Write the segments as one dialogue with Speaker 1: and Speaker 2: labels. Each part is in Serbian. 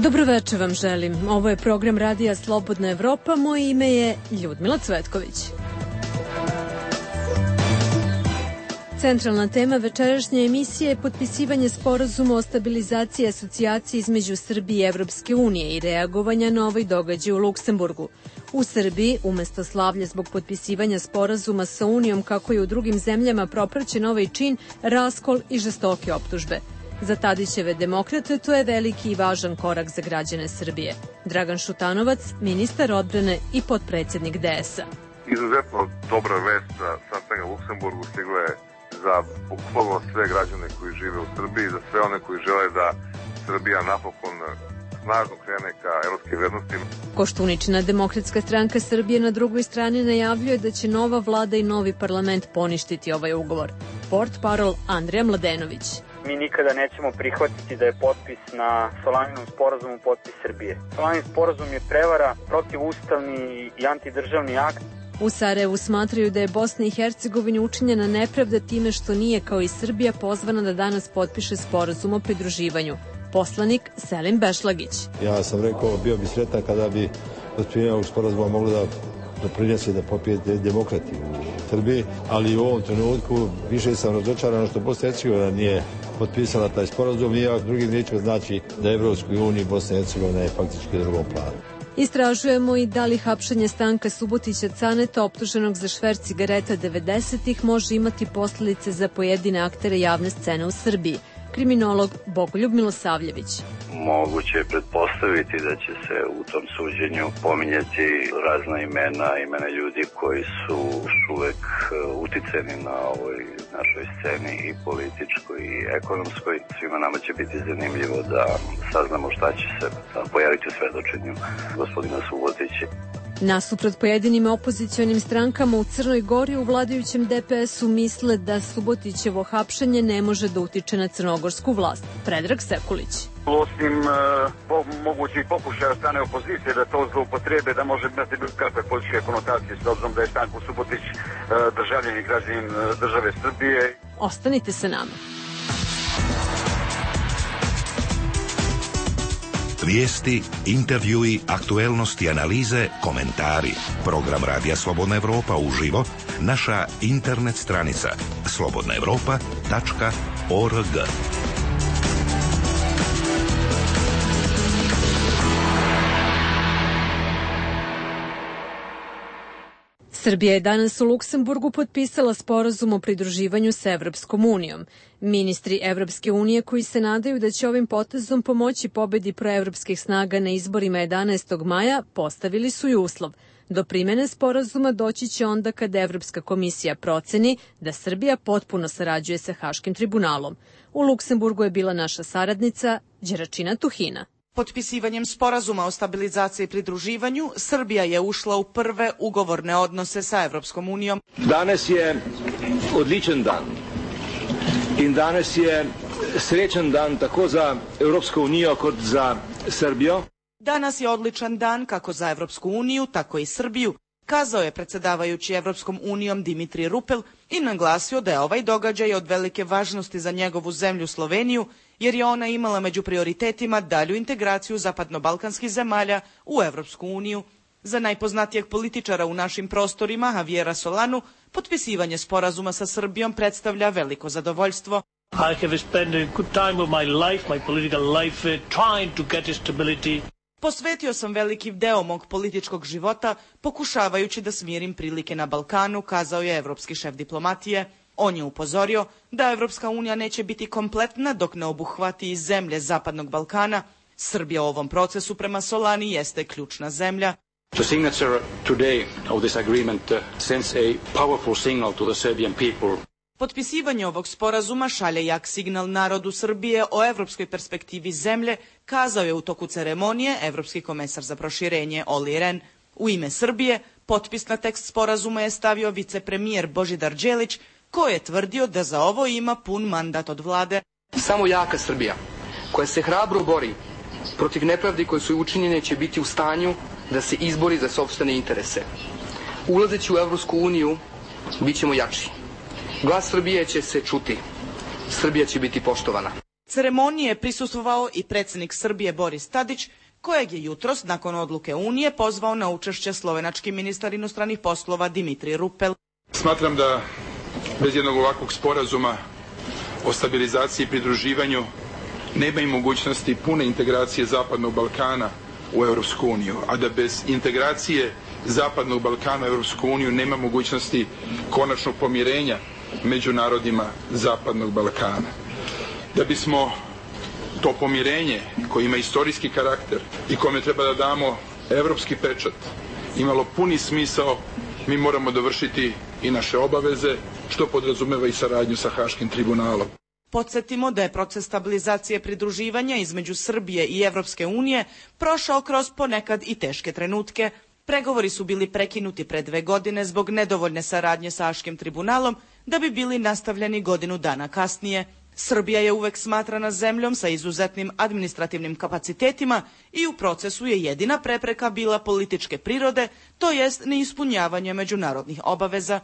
Speaker 1: Dobroveče vam želim. Ovo je program Radija Slobodna Evropa. Moje ime je Ljudmila Cvetković. Centralna tema večerašnje emisije je potpisivanje sporazuma o stabilizaciji asocijacije između Srbije i Evropske unije i reagovanja na ovaj događaj u Luksemburgu. U Srbiji, umesto slavlja zbog potpisivanja sporazuma sa Unijom, kako je u drugim zemljama propraćen ovaj čin, raskol i žestoke optužbe. Za Tadićeve demokrate to je veliki i važan korak za građane Srbije. Dragan Šutanovac, ministar odbrane i potpredsjednik DS-a.
Speaker 2: Izuzetno dobra vest za sastanak u Luksemburgu stigla je za bukvalno sve građane koji žive u Srbiji, za sve one koji žele da Srbija napokon snažno krene ka evropskim vrednostima.
Speaker 1: Koštuničina Demokratska stranka Srbije na drugoj strani najavljuje da će nova vlada i novi parlament poništiti ovaj ugovor. Portparol Andrija Mladenović.
Speaker 3: Mi nikada nećemo prihvatiti da je potpis na Solaninom sporazumu potpis Srbije. Solanin sporazum je prevara, protivustavni i antidržavni akt.
Speaker 1: U Sarajevu smatraju da je Bosni i Hercegovini učinjena nepravda time što nije, kao i Srbija, pozvana da danas potpiše sporazum o pridruživanju. Poslanik Selim Bešlagić.
Speaker 4: Ja sam rekao, bio bi sretan kada bi potpisivanje ovog sporazuma moglo da doprinese da popije demokrati u Srbiji, ali u ovom trenutku više sam razočaran što Bosna i Hercegovina nije potpisala taj sporazum, i drugim riječima znači da je Evropskoj uniji Bosna i Hercegovina je faktički u drugom planu.
Speaker 1: Istražujemo i da li hapšenje Stanka Subotića Caneta, optuženog za šverc cigareta 90-ih, može imati posljedice za pojedine aktere javne scene u Srbiji. Kriminolog Bogoljub Milosavljević.
Speaker 5: Moguće je pretpostaviti da će se u tom suđenju pominjati razna imena ljudi koji su uvek uticeni na ovoj našoj sceni i političkoj i ekonomskoj. Svima nama će biti zanimljivo da saznamo šta će se pojaviti u svedočenju gospodina Subotića.
Speaker 1: Nasuprot pojedinim opozicionim strankama u Crnoj Gori, u vladajućem DPS-u misle da Subotićevo hapšenje ne može da utiče na crnogorsku vlast. Predrag Sekulić.
Speaker 6: Osim mogućih pokušaja od strane opozicije da to zloupotrebe, da može imati kakve političke konotacije s obzirom da je Stanko Subotić državljanin i građanin države Srbije.
Speaker 1: Ostanite sa nama.
Speaker 7: Vijesti, intervjui, aktuelnosti, analize, komentari. Program Radija Slobodna Evropa uživo, naša internet stranica slobodnaevropa.org.
Speaker 1: Srbija je danas u Luksemburgu potpisala sporazum o pridruživanju sa Evropskom unijom. Ministri Evropske unije, koji se nadaju da će ovim potezom pomoći pobedi proevropskih snaga na izborima 11. maja, postavili su i uslov. Do primene sporazuma doći će onda kada Evropska komisija proceni da Srbija potpuno sarađuje sa Haškim tribunalom. U Luksemburgu je bila naša saradnica Đeračina Tuhina.
Speaker 8: Potpisivanjem sporazuma o stabilizaciji i pridruživanju, Srbija je ušla u prve ugovorne odnose sa Evropskom unijom.
Speaker 9: Danas je odličan dan i danas je srećan dan tako za Evropsku uniju kot za Srbiju.
Speaker 8: Danas je odličan dan kako za Evropsku uniju, tako i Srbiju, kazao je predsjedavajući Evropskom unijom Dimitri Rupel i naglasio da je ovaj događaj od velike važnosti za njegovu zemlju Sloveniju, jer je ona imala među prioritetima dalju integraciju zapadno-balkanskih zemalja u Evropsku uniju. Za najpoznatijeg političara u našim prostorima, Javiera Solanu, potpisivanje sporazuma sa Srbijom predstavlja veliko zadovoljstvo.
Speaker 10: I have spent a good time of my life, my political life, trying to get stability.
Speaker 8: Posvetio sam veliki deo mog političkog života pokušavajući da smirim prilike na Balkanu, kazao je evropski šef diplomatije. On je upozorio da Evropska unija neće biti kompletna dok ne obuhvati i zemlje Zapadnog Balkana. Srbija u ovom procesu prema Solani jeste ključna zemlja.
Speaker 9: The signature today of this agreement sends a powerful signal to the Serbian people.
Speaker 8: Potpisivanje ovog sporazuma šalje jak signal narodu Srbije o evropskoj perspektivi zemlje, kazao je u toku ceremonije evropski komesar za proširenje Olli Rehn. U ime Srbije potpis na tekst sporazuma je stavio vicepremijer Božidar Đelić, koji je tvrdio da za ovo ima pun mandat od vlade.
Speaker 11: Samo jaka Srbija, koja se hrabro bori protiv nepravdi koje su učinjene, će biti u stanju da se izbori za sopstvene interese. Ulazeći u Evropsku uniju, bit ćemo jači. Glas Srbije će se čuti. Srbija će biti poštovana.
Speaker 8: Ceremoniji je prisustvovao i predsjednik Srbije Boris Tadić, kojeg je jutros, nakon odluke Unije, pozvao na učešće slovenački ministar inostranih poslova Dimitri Rupel.
Speaker 12: Smatram da bez jednog ovakvog sporazuma o stabilizaciji i pridruživanju nema i mogućnosti pune integracije Zapadnog Balkana u Europsku uniju, a da bez integracije Zapadnog Balkana u Europsku uniju nema mogućnosti konačnog pomirenja među narodima Zapadnog Balkana. Da bismo to pomirenje koje ima istorijski karakter i kome treba da damo evropski pečat imalo puni smisao, mi moramo dovršiti i naše obaveze, što podrazumeva i saradnju sa Haškim tribunalom.
Speaker 8: Podsjetimo da je proces stabilizacije pridruživanja između Srbije i Evropske unije prošao kroz ponekad i teške trenutke. Pregovori su bili prekinuti pre 2 godine zbog nedovoljne saradnje sa Haškim tribunalom, da bi bili nastavljeni godinu dana kasnije. Srbija je uvek smatrana zemljom sa izuzetnim administrativnim kapacitetima i u procesu je jedina prepreka bila političke prirode, to jest neispunjavanje međunarodnih obaveza.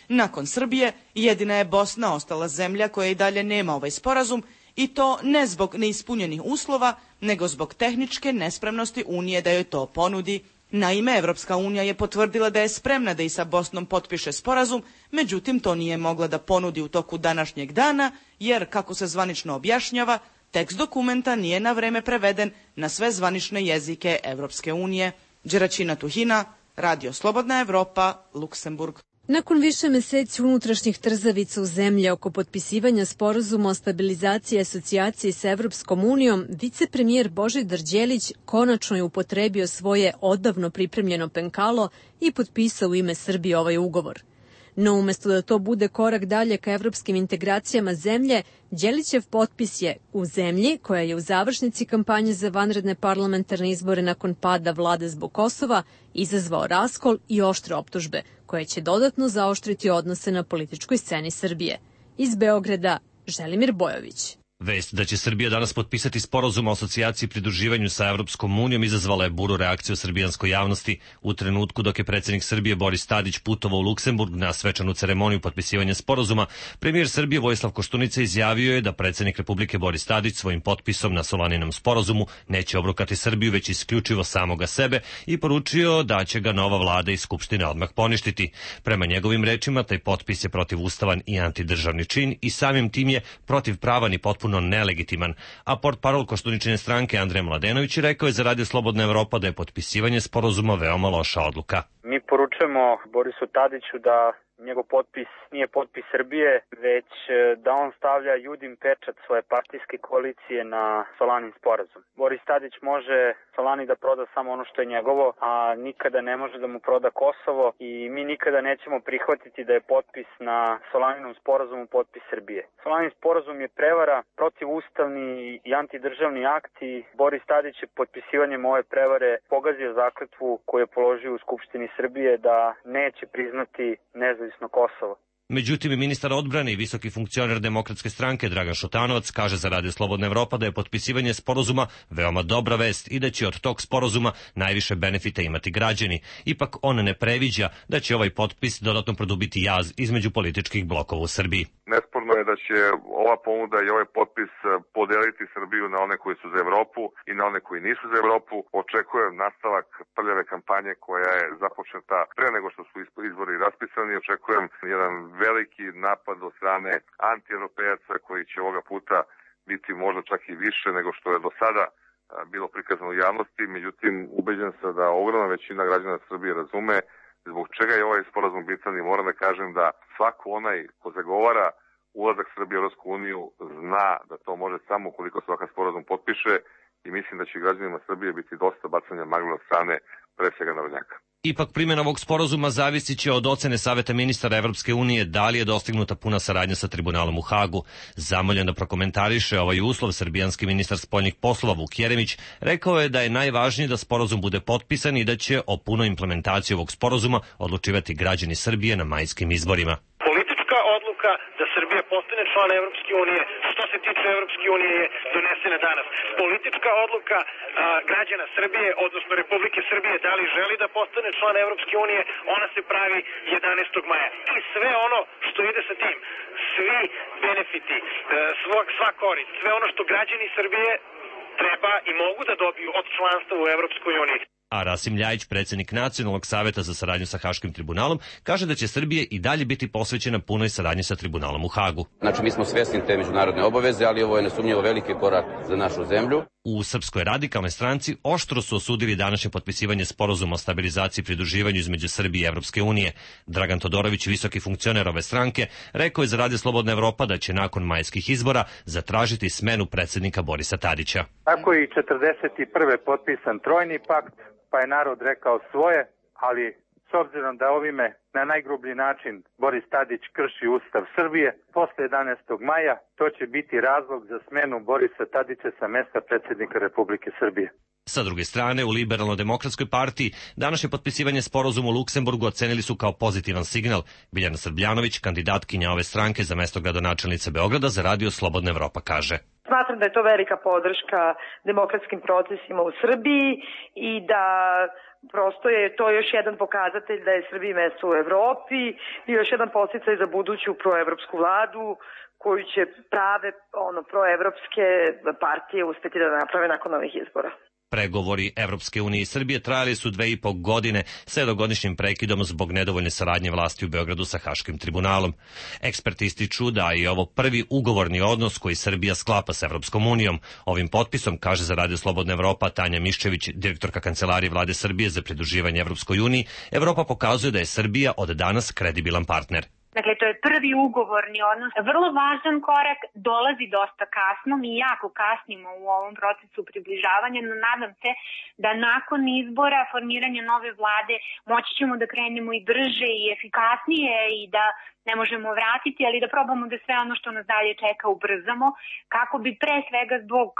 Speaker 8: Nakon Srbije, jedina je Bosna ostala zemlja koja i dalje nema ovaj sporazum, i to ne zbog neispunjenih uslova, nego zbog tehničke nespremnosti Unije da joj to ponudi. Naime, Evropska unija je potvrdila da je spremna da i sa Bosnom potpiše sporazum, međutim to nije mogla da ponudi u toku današnjeg dana, jer, kako se zvanično objašnjava, tekst dokumenta nije na vreme preveden na sve zvanične jezike Evropske unije. Đeračina Tuhina, Radio Slobodna Evropa, Luksemburg.
Speaker 1: Nakon više meseci unutrašnjih trzavica u zemlji oko potpisivanja sporazuma o stabilizaciji i asocijaciji sa Evropskom unijom, vicepremijer Božidar Đelić konačno je upotrebio svoje odavno pripremljeno penkalo i potpisao u ime Srbije ovaj ugovor. No umesto da to bude korak dalje ka evropskim integracijama zemlje, Đelićev potpis je u zemlji koja je u završnici kampanje za vanredne parlamentarne izbore nakon pada vlade zbog Kosova izazvao raskol i oštre optužbe, koje će dodatno zaoštriti odnose na političkoj sceni Srbije. Iz Beograda, Želimir Bojović.
Speaker 13: Vest da će Srbija danas potpisati sporazum o asocijaciji i pridruživanju sa Evropskom unijom izazvala je buru reakciju srbijanskoj javnosti u trenutku dok je predsjednik Srbije Boris Tadić putovao u Luksemburg na svečanu ceremoniju potpisivanja sporazuma. Premijer Srbije Vojislav Koštunica izjavio je da predsjednik Republike Boris Tadić svojim potpisom na Solaninom sporazumu neće obrukati Srbiju, već isključivo samoga sebe, i poručio da će ga nova vlada i Skupština odmah poništiti. Prema njegovim rečima, taj potpis je protivustavan i antidržavni čin i samim tim je protivpravan i potpuno nelegitiman, a portparol Koštuničine stranke Andrej Mladenović rekao je za Radio Slobodna Evropa da je potpisivanje sporazuma veoma loša odluka.
Speaker 3: Mi poručujemo Borisu Tadiću da njegov potpis nije potpis Srbije, već da on stavlja Judin pečat svoje partijske koalicije na Solanin sporazum. Boris Tadić može Solani da proda samo ono što je njegovo, a nikada ne može da mu proda Kosovo, i mi nikada nećemo prihvatiti da je potpis na Solaninom sporazumu potpis Srbije. Solanin sporazum je prevara, protivustavni i antidržavni akt, i Boris Tadić je potpisivanjem ove prevare pogazio zakletvu koju je položio u Skupštini Srbije da neće priznati nezavisno Kosovo.
Speaker 13: Međutim, ministar odbrane i visoki funkcioner Demokratske stranke Dragan Šutanovac kaže za Radio Slobodna Evropa da je potpisivanje sporazuma veoma dobra vest i da će od tog sporazuma najviše benefita imati građani. Ipak on ne previđa da će ovaj potpis dodatno produbiti jaz između političkih blokova u Srbiji.
Speaker 2: Nesporno je da će ova ponuda i ovaj potpis podeliti Srbiju na one koji su za Evropu i na one koji nisu za Evropu. Očekujem nastavak prljave kampanje koja je započeta pre nego što su izbori raspisani. Očekujem jedan veliki napad od strane anti-europejaca koji će ovoga puta biti možda čak i više nego što je do sada bilo prikazano u javnosti. Međutim, ubeđen sam da ogromna većina građana Srbije razume zbog čega je ovaj sporazum bitan, i moram da kažem da svako onaj ko zagovara ulazak Srbije u Evropsku uniju zna da to može samo ukoliko se ovakav sporazum potpiše, i mislim da će građanima Srbije biti dosta bacanja magle od strane pre svega narodnjaka.
Speaker 13: Ipak primjena ovog sporazuma zavisit će od ocene Saveta ministara Evropske unije da li je dostignuta puna saradnja sa tribunalom u Hagu. Zamoljen da prokomentariše ovaj uslov, srbijanski ministar spoljnih poslova Vuk Jeremić rekao je da je najvažnije da sporazum bude potpisan i da će o punoj implementaciji ovog sporazuma odlučivati građani Srbije na majskim izborima.
Speaker 14: Politička odluka da Srbija postane član Evropske unije, što se tiče Evropske unije, je donesena danas. Politička odluka građana Srbije, odnosno Republike Srbije, da li želi da postane član Evropske unije, ona se pravi 11. maja. I sve ono što ide sa tim, svi benefiti, sva korist, sve ono što građani Srbije treba i mogu da dobiju od članstva u Evropskoj uniji.
Speaker 13: A Rasim Ljajić, predsjednik Nacionalnog saveta za saradnju sa Haškim tribunalom, kaže da će Srbije i dalje biti posvećena punoj saradnji sa tribunalom u Hagu.
Speaker 15: Znači, mi smo svjesni te međunarodne obaveze, ali ovo je nesumnjivo veliki korak za našu zemlju.
Speaker 13: U Srpskoj radikalnoj stranci oštro su osudili današnje potpisivanje sporazuma o stabilizaciji i pridruživanju između Srbije i Evropske unije. Dragan Todorović, visoki funkcioner ove stranke, rekao je za Radio Slobodna Evropa da će nakon majskih izbora zatražiti smenu predsjednika Borisa Tadića.
Speaker 16: Tako je i 41. potpisan trojni pakt, pa je narod rekao svoje, ali s obzirom da ovime na najgrublji način Boris Tadić krši Ustav Srbije, posle 11. maja to će biti razlog za smenu Borisa Tadića sa mesta predsjednika Republike Srbije.
Speaker 13: Sa druge strane, u Liberalno-demokratskoj partiji današnje potpisivanje sporazuma u Luksemburgu ocenili su kao pozitivan signal. Biljana Srbljanović, kandidatkinja ove stranke za mesto gradonačelnice Beograda, za Radio Slobodna Evropa kaže:
Speaker 17: Smatram da je to velika podrška demokratskim procesima u Srbiji i da prosto je to još jedan pokazatelj da je Srbiji mesto u Evropi i još jedan podsticaj za buduću proevropsku vladu koju će prave proevropske partije uspeti da naprave nakon ovih izbora.
Speaker 13: Pregovori Evropske unije i Srbije trajali su 2,5 godine s jednogodišnjim prekidom zbog nedovoljne saradnje vlasti u Beogradu sa Haškim tribunalom. Eksperti ističu da je ovo prvi ugovorni odnos koji Srbija sklapa s Evropskom unijom. Ovim potpisom, kaže za Radio Slobodna Evropa Tanja Miščević, direktorka Kancelarije vlade Srbije za pridruživanje Evropskoj uniji, Evropa pokazuje da je Srbija od danas kredibilan partner.
Speaker 18: Dakle, to je prvi ugovorni odnos. Vrlo važan korak, dolazi dosta kasno, mi jako kasnimo u ovom procesu približavanja, no nadam se da nakon izbora, formiranja nove vlade, moći ćemo da krenemo i brže i efikasnije i da ne možemo vratiti, ali da probamo da sve ono što nas dalje čeka ubrzamo, kako bi pre svega zbog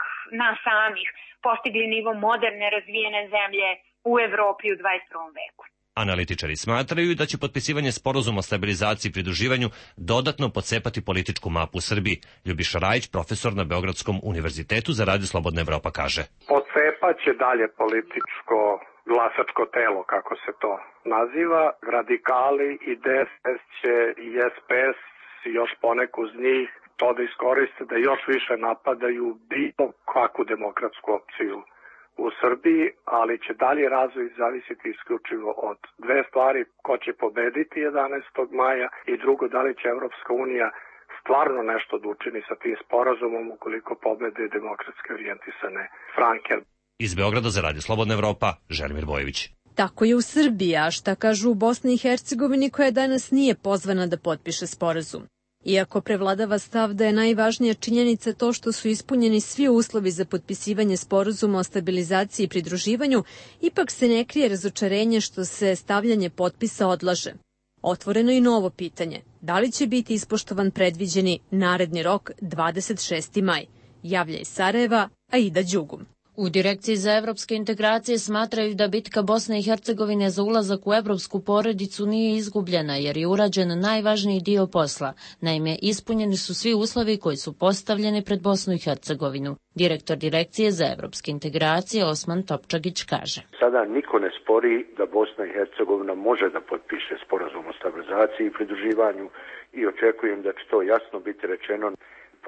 Speaker 18: nas samih postigli nivo moderne, razvijene zemlje u Evropi u 21. veku.
Speaker 13: Analitičari smatraju da će potpisivanje sporazuma o stabilizaciji i pridruživanju dodatno pocepati političku mapu u Srbiji. Ljubiša Rajić, profesor na Beogradskom univerzitetu za Radio Slobodna Evropa, kaže:
Speaker 19: Pocepaće dalje političko glasačko telo, kako se to naziva. Radikali i DSS će i SPS i još poneku uz njih to da iskoriste da još više napadaju bilo kakvu demokratsku opciju u Srbiji, ali će dalje razvoj zavisiti isključivo od dve stvari: ko će pobediti 11. maja i drugo, da li će Evropska unija stvarno nešto da učini sa tim sporazumom ukoliko pobede demokratske orijentisane stranke.
Speaker 13: Iz Beograda za Radio Slobodna Evropa, Želimir Bojević.
Speaker 1: Tako je u Srbiji, a šta kažu u Bosni i Hercegovini koja danas nije pozvana da potpiše sporazum. Iako prevladava stav da je najvažnija činjenica to što su ispunjeni svi uslovi za potpisivanje sporazuma o stabilizaciji i pridruživanju, ipak se ne krije razočarenje što se stavljanje potpisa odlaže. Otvoreno i novo pitanje, da li će biti ispoštovan predviđeni naredni rok 26. maj, javlja iz Sarajeva Aida Đugum.
Speaker 20: U Direkciji za evropske integracije smatraju da bitka Bosne i Hercegovine za ulazak u evropsku porodicu nije izgubljena jer je urađen najvažniji dio posla. Naime, ispunjeni su svi uslovi koji su postavljeni pred Bosnu i Hercegovinu. Direktor Direkcije za evropske integracije Osman Topčagić kaže:
Speaker 21: Sada niko ne spori da Bosna i Hercegovina može da potpiše sporazum o stabilizaciji i pridruživanju i očekujem da će to jasno biti rečeno.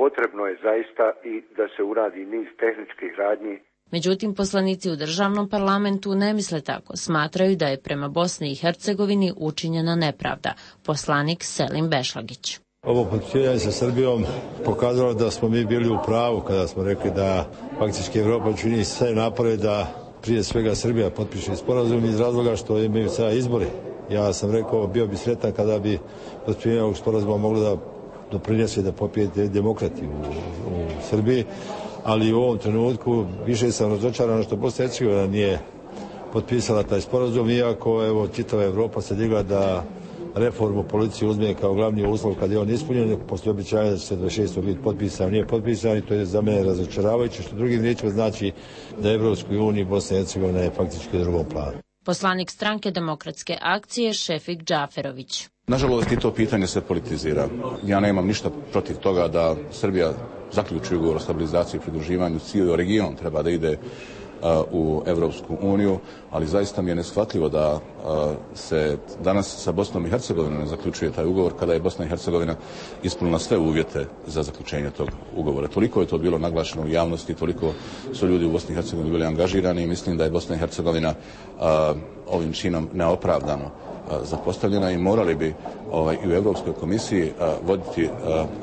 Speaker 21: Potrebno je zaista i da se uradi niz tehničkih radnji.
Speaker 20: Međutim, poslanici u državnom parlamentu ne misle tako. Smatraju da je prema Bosni i Hercegovini učinjena nepravda. Poslanik Selim Bešlagić.
Speaker 4: Ovo potpisivanje sa Srbijom pokazalo da smo mi bili u pravu kada smo rekli da faktički Evropa čini sve napore da prije svega Srbija potpiše sporazum iz razloga što imaju sada izbori. Ja sam rekao, bio bi sretan kada bi potpisivanje ovog sporazuma moglo da doprinese da popijete demokrati u Srbiji, ali u ovom trenutku više sam razočaran što Bosna i Hercegovina nije potpisala taj sporazum, iako evo čitava Evropa se digla da reformu policije uzme kao glavni uslov kad je on ispunjen, poslije običaja da će se 26. biti potpisan, nije potpisan i to je za mene razočaravajuće, što drugim riječima znači da Evropskoj uniji Bosna i Hercegovina je faktički u drugom planu.
Speaker 20: Poslanik Stranke demokratske akcije Šefik Džaferović.
Speaker 5: Nažalost i to pitanje se politizira. Ja nemam ništa protiv toga da Srbija zaključi ugovor o stabilizaciji i pridruživanju. Cijeli region treba da ide u Evropsku uniju, ali zaista mi je neshvatljivo da se danas sa Bosnom i Hercegovinom ne zaključuje taj ugovor kada je Bosna i Hercegovina ispunila sve uvjete za zaključenje tog ugovora. Toliko je to bilo naglašeno u javnosti, toliko su ljudi u Bosni i Hercegovini bili angažirani i mislim da je Bosna i Hercegovina ovim činom neopravdano zapostavljena i morali bi i u Evropskoj komisiji voditi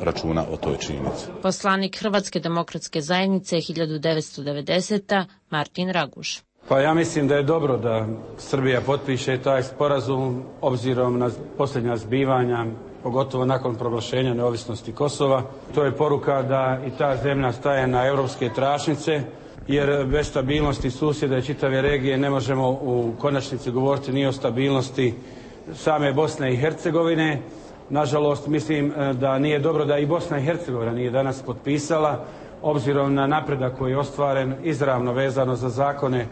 Speaker 5: računa o toj činjenici.
Speaker 20: Poslanik Hrvatske demokratske zajednice 1990. Martin Raguš.
Speaker 22: Pa ja mislim da je dobro da Srbija potpiše taj sporazum obzirom na posljednja zbivanja, pogotovo nakon proglašenja neovisnosti Kosova. To je poruka da i ta zemlja staje na europske tračnice, jer bez stabilnosti susjeda i čitave regije ne možemo u konačnici govoriti ni o stabilnosti same Bosne i Hercegovine. Nažalost, mislim da nije dobro da i Bosna i Hercegovina nije danas potpisala, obzirom na napredak koji je ostvaren izravno vezano za zakone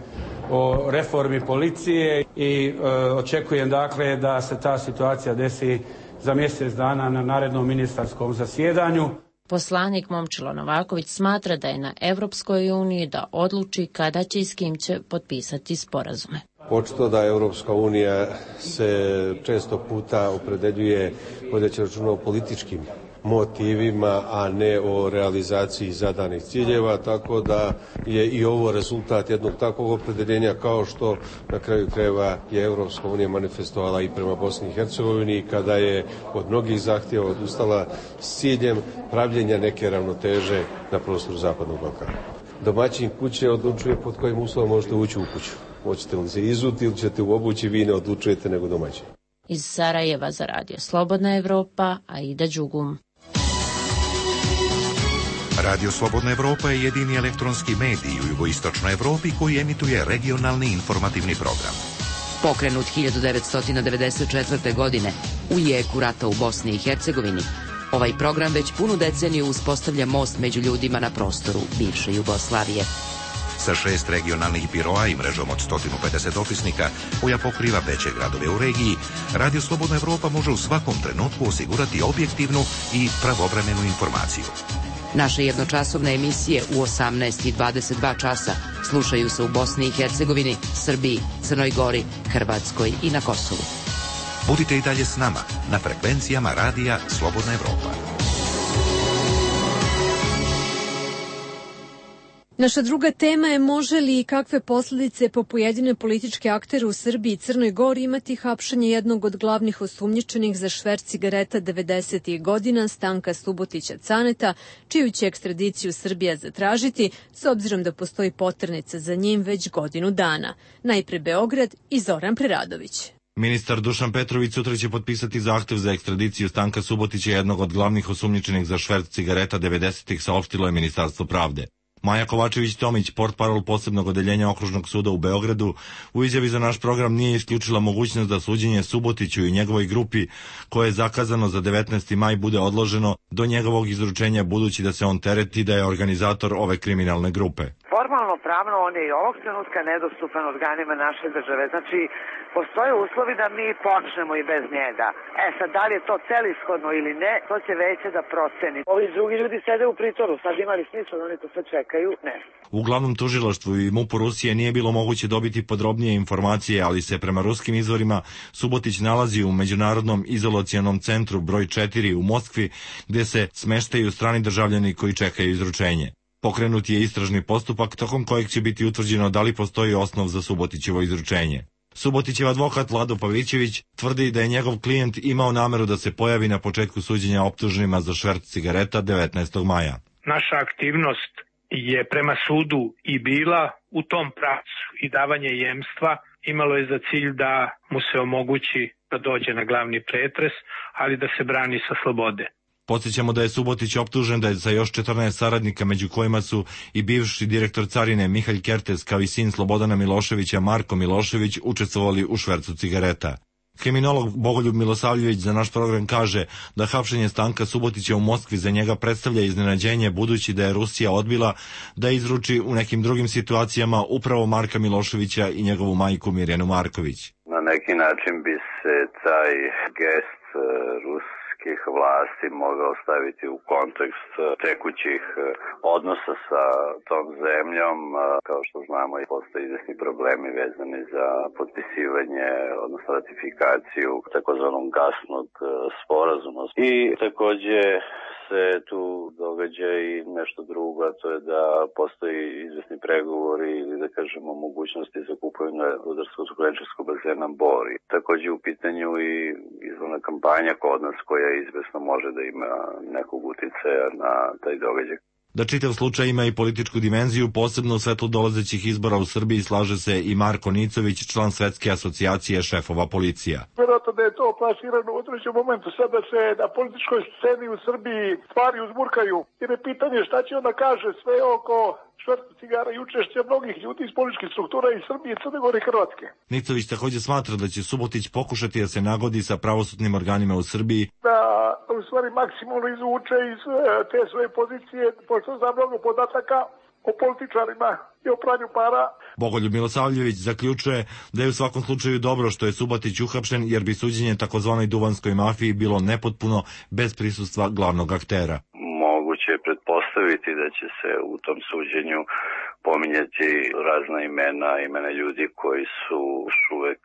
Speaker 22: o reformi policije i očekujem dakle da se ta situacija desi za mjesec dana na narednom ministarskom zasjedanju.
Speaker 20: Poslanik Momčilo Novaković smatra da je na Evropskoj uniji da odluči kada će i s kim će potpisati sporazume.
Speaker 23: Očito da Evropska unija se često puta opredeljuje vodeći računa o političkim motivima, a ne o realizaciji zadanih ciljeva, tako da je i ovo rezultat jednog takvog opredeljenja, kao što na kraju krajeva je Evropska unija manifestovala i prema Bosni i Hercegovini kada je od mnogih zahtjeva odustala s ciljem pravljenja neke ravnoteže na prostoru Zapadnog Balkana. Domaćin kuće odlučuje pod kojim uslovom možete ući u kuću. Hoćete li se izuti ili ćete u obući, vi ne odlučujete nego domaćin.
Speaker 20: Iz Sarajeva za Radio Slobodna Evropa, Aida Đugum.
Speaker 7: Radio Slobodna Evropa je jedini elektronski medij u jugoistočnoj Evropi koji emituje regionalni informativni program.
Speaker 24: Pokrenut 1994. godine u jeku rata u Bosni i Hercegovini, ovaj program već punu deceniju uspostavlja most među ljudima na prostoru bivše Jugoslavije.
Speaker 7: Sa 6 regionalnih biroa i mrežom od 150 dopisnika koja pokriva veće gradove u regiji, Radio Slobodna Evropa može u svakom trenutku osigurati objektivnu i pravovremenu informaciju.
Speaker 24: Naše jednočasovne emisije u 18 i 22 časa slušaju se u Bosni i Hercegovini, Srbiji, Crnoj Gori, Hrvatskoj i na Kosovu.
Speaker 7: Budite i dalje s nama na frekvencijama Radija Slobodna Evropa.
Speaker 1: Naša druga tema je može li i kakve posljedice po pojedine političke aktere u Srbiji i Crnoj Gori imati hapšanje jednog od glavnih osumnjičenih za šverc cigareta 90. godina Stanka Subotića Caneta, čiju će ekstradiciju Srbija zatražiti, s obzirom da postoji poternica za njim već godinu dana. Najpre Beograd i Zoran Preradović.
Speaker 25: Ministar Dušan Petrović sutra će potpisati zahtev za ekstradiciju Stanka Subotića, jednog od glavnih osumnjičenih za šverc cigareta 90-ih, saopštilo je Ministarstvo pravde. Maja Kovačević-Tomić, portparol posebnog odeljenja Okružnog suda u Beogradu, u izjavi za naš program nije isključila mogućnost da suđenje Subotiću i njegovoj grupi, koje je zakazano za 19. maj, bude odloženo do njegovog izručenja, budući da se on tereti da je organizator ove kriminalne grupe.
Speaker 26: Formalno pravno on je i ovog trenutka nedostupan organima naše države. Znači, postoje uslovi da mi počnemo i bez njega. Sad, da li je to celishodno ili ne, to će veće da proceni. Ovi drugi ljudi sede u pritvoru, sad imali smisla da oni to sve čekaju, ne.
Speaker 25: U glavnom tužilaštvu i MUP-u Rusije nije bilo moguće dobiti podrobnije informacije, ali se prema ruskim izvorima Subotić nalazi u Međunarodnom izolacionom centru broj 4 u Moskvi, gde se smeštaju strani državljani koji čekaju izručenje. Pokrenut je istražni postupak tokom kojeg će biti utvrđeno da li postoji osnov za Subotićevo izručenje. Subotićev advokat Vlado Pavićević tvrdi da je njegov klijent imao nameru da se pojavi na početku suđenja optuženima za šverc cigareta 19. maja.
Speaker 10: Naša aktivnost je prema sudu i bila u tom pravcu i davanje jemstva imalo je za cilj da mu se omogući da dođe na glavni pretres, ali da se brani sa slobode.
Speaker 25: Podsjećamo da je Subotić optužen da je sa još 14 saradnika, među kojima su i bivši direktor carine Mihalj Kertes, kao i sin Slobodana Miloševića Marko Milošević, učestvovali u švercu cigareta. Kriminolog Bogoljub Milosavljević za naš program kaže da hapšenje Stanka Subotića u Moskvi za njega predstavlja iznenađenje, budući da je Rusija odbila da izruči u nekim drugim situacijama upravo Marka Miloševića i njegovu majku Mirjanu Marković.
Speaker 3: Na neki način bi se taj gest ruskih vlasti mogao staviti u kontekst tekućih odnosa sa tom zemljom. Kao što znamo, postoje izvesni problemi vezani za potpisivanje, odnosno ratifikaciju takozvanog gasnog sporazuma. I takođe se tu događa i nešto drugo, a to je da postoji izvesni pregovori ili da kažemo mogućnosti za kupovinu rudarsko-skladištarskog bazena Bor. Takođe u pitanju i izborna kampanja kod nas koja izvesno može da ima nekog uticaja na taj događaj.
Speaker 25: Da čitav slučaj ima i političku dimenziju, posebno u svetlu dolazećih izbora u Srbiji, slaže se i Marko Nicović, član Svetske asocijacije šefova policija.
Speaker 6: Vjerojatno da je to plasirano u određenom momentu, sad da se na političkoj sceni u Srbiji stvari uzburkaju, jer je pitanje šta će onda kaže sve oko šverca cigara i učešća mnogih ljudi iz političkih struktura iz Srbije, Crne Gore i Hrvatske.
Speaker 25: Nicović takođe smatra da će Subotić pokušati da se nagodi sa pravosudnim organima u Srbiji,
Speaker 6: da u stvari maksimalno izvuče iz te svoje pozicije, pošto zna mnogo podataka o političarima i o pranju para.
Speaker 25: Bogoljub Milosavljević zaključuje da je u svakom slučaju dobro što je Subotić uhapšen, jer bi suđenje takozvanoj duvanskoj mafiji bilo nepotpuno bez prisustva glavnog aktera.
Speaker 3: Moguće je pretpostaviti da će se u tom suđenju pominjati razna imena ljudi koji su još uvek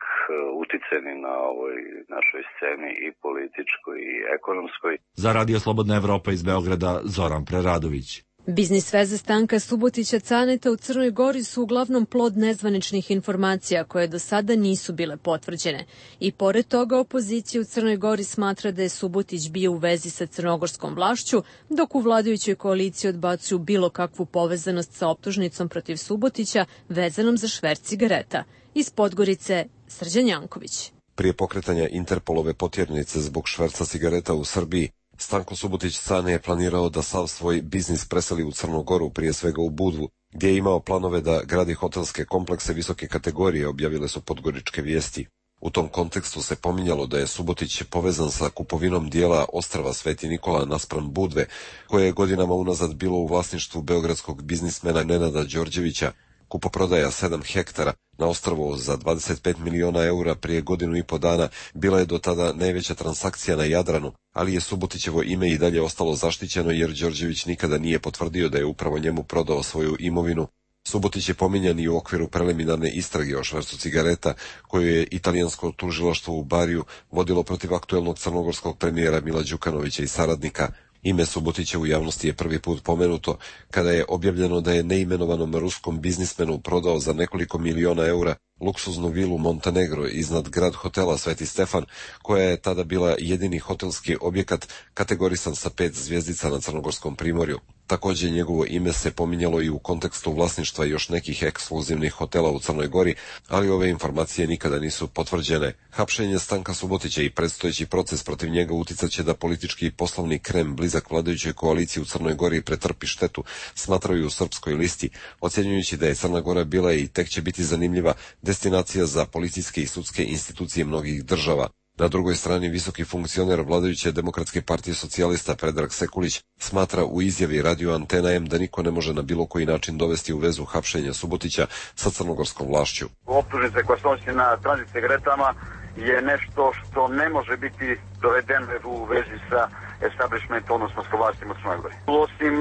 Speaker 3: uticeni na ovoj našoj sceni i političkoj i ekonomskoj.
Speaker 25: Za Radio Slobodna Evropa iz Beograda, Zoran Preradović.
Speaker 1: Biznis veze Stanka Subotića Caneta u Crnoj Gori su uglavnom plod nezvaničnih informacija koje do sada nisu bile potvrđene. I pored toga opozicija u Crnoj Gori smatra da je Subotić bio u vezi sa crnogorskom vlašću, dok u vladajućoj koaliciji odbacuju bilo kakvu povezanost sa optužnicom protiv Subotića vezanom za šverc cigareta. Iz Podgorice, Srđan Janković.
Speaker 8: Prije pokretanja Interpolove potjernice zbog šverca cigareta u Srbiji, Stanko Subotić Cane je planirao da sav svoj biznis preseli u Crnu Goru, prije svega u Budvu, gdje je imao planove da gradi hotelske komplekse visoke kategorije, objavile su Podgoričke vijesti. U tom kontekstu se pominjalo da je Subotić povezan sa kupovinom dijela ostrva Sveti Nikola naspram Budve, koje je godinama unazad bilo u vlasništvu beogradskog biznismena Nenada Đorđevića. Kupoprodaja 7 hektara na ostrvu za 25 miliona eura prije godinu i po dana bila je do tada najveća transakcija na Jadranu, ali je Subotićevo ime i dalje ostalo zaštićeno jer Đorđević nikada nije potvrdio da je upravo njemu prodao svoju imovinu. Subotić je pominjan i u okviru preliminarne istrage o švercu cigareta koju je italijansko tužilaštvo u Bariju vodilo protiv aktuelnog crnogorskog premijera Mila Đukanovića i saradnika. Ime Subotića u javnosti je prvi put pomenuto kada je objavljeno da je neimenovanom ruskom biznismenu prodao za nekoliko miliona eura luksuznu vilu Montenegro iznad grad hotela Sveti Stefan, koja je tada bila jedini hotelski objekat kategorisan sa 5 zvjezdica na Crnogorskom primorju. Također njegovo ime se pominjalo i u kontekstu vlasništva još nekih ekskluzivnih hotela u Crnoj Gori, ali ove informacije nikada nisu potvrđene. Hapšenje Stanka Subotića i predstojeći proces protiv njega uticat će da politički i poslovni krem blizak vladajućoj koaliciji u Crnoj Gori pretrpi štetu, smatraju u Srpskoj listi, ocjenjujući da je Crna Gora bila i tek će biti zanimljiva destinacija za policijske i sudske institucije mnogih država. Na drugoj strani visoki funkcioner vladajuće Demokratske partije socijalista Predrag Sekulić smatra u izjavi Radio Antena M da niko ne može na bilo koji način dovesti u vezu hapšenja Subotića sa crnogorskom vlašću.
Speaker 9: Optužnice koja se odnosi na tranzit cigaretama je nešto što ne može biti dovedeno u vezi sa establishmentom, odnosno sa vlastima u Crnoj Gori. Osim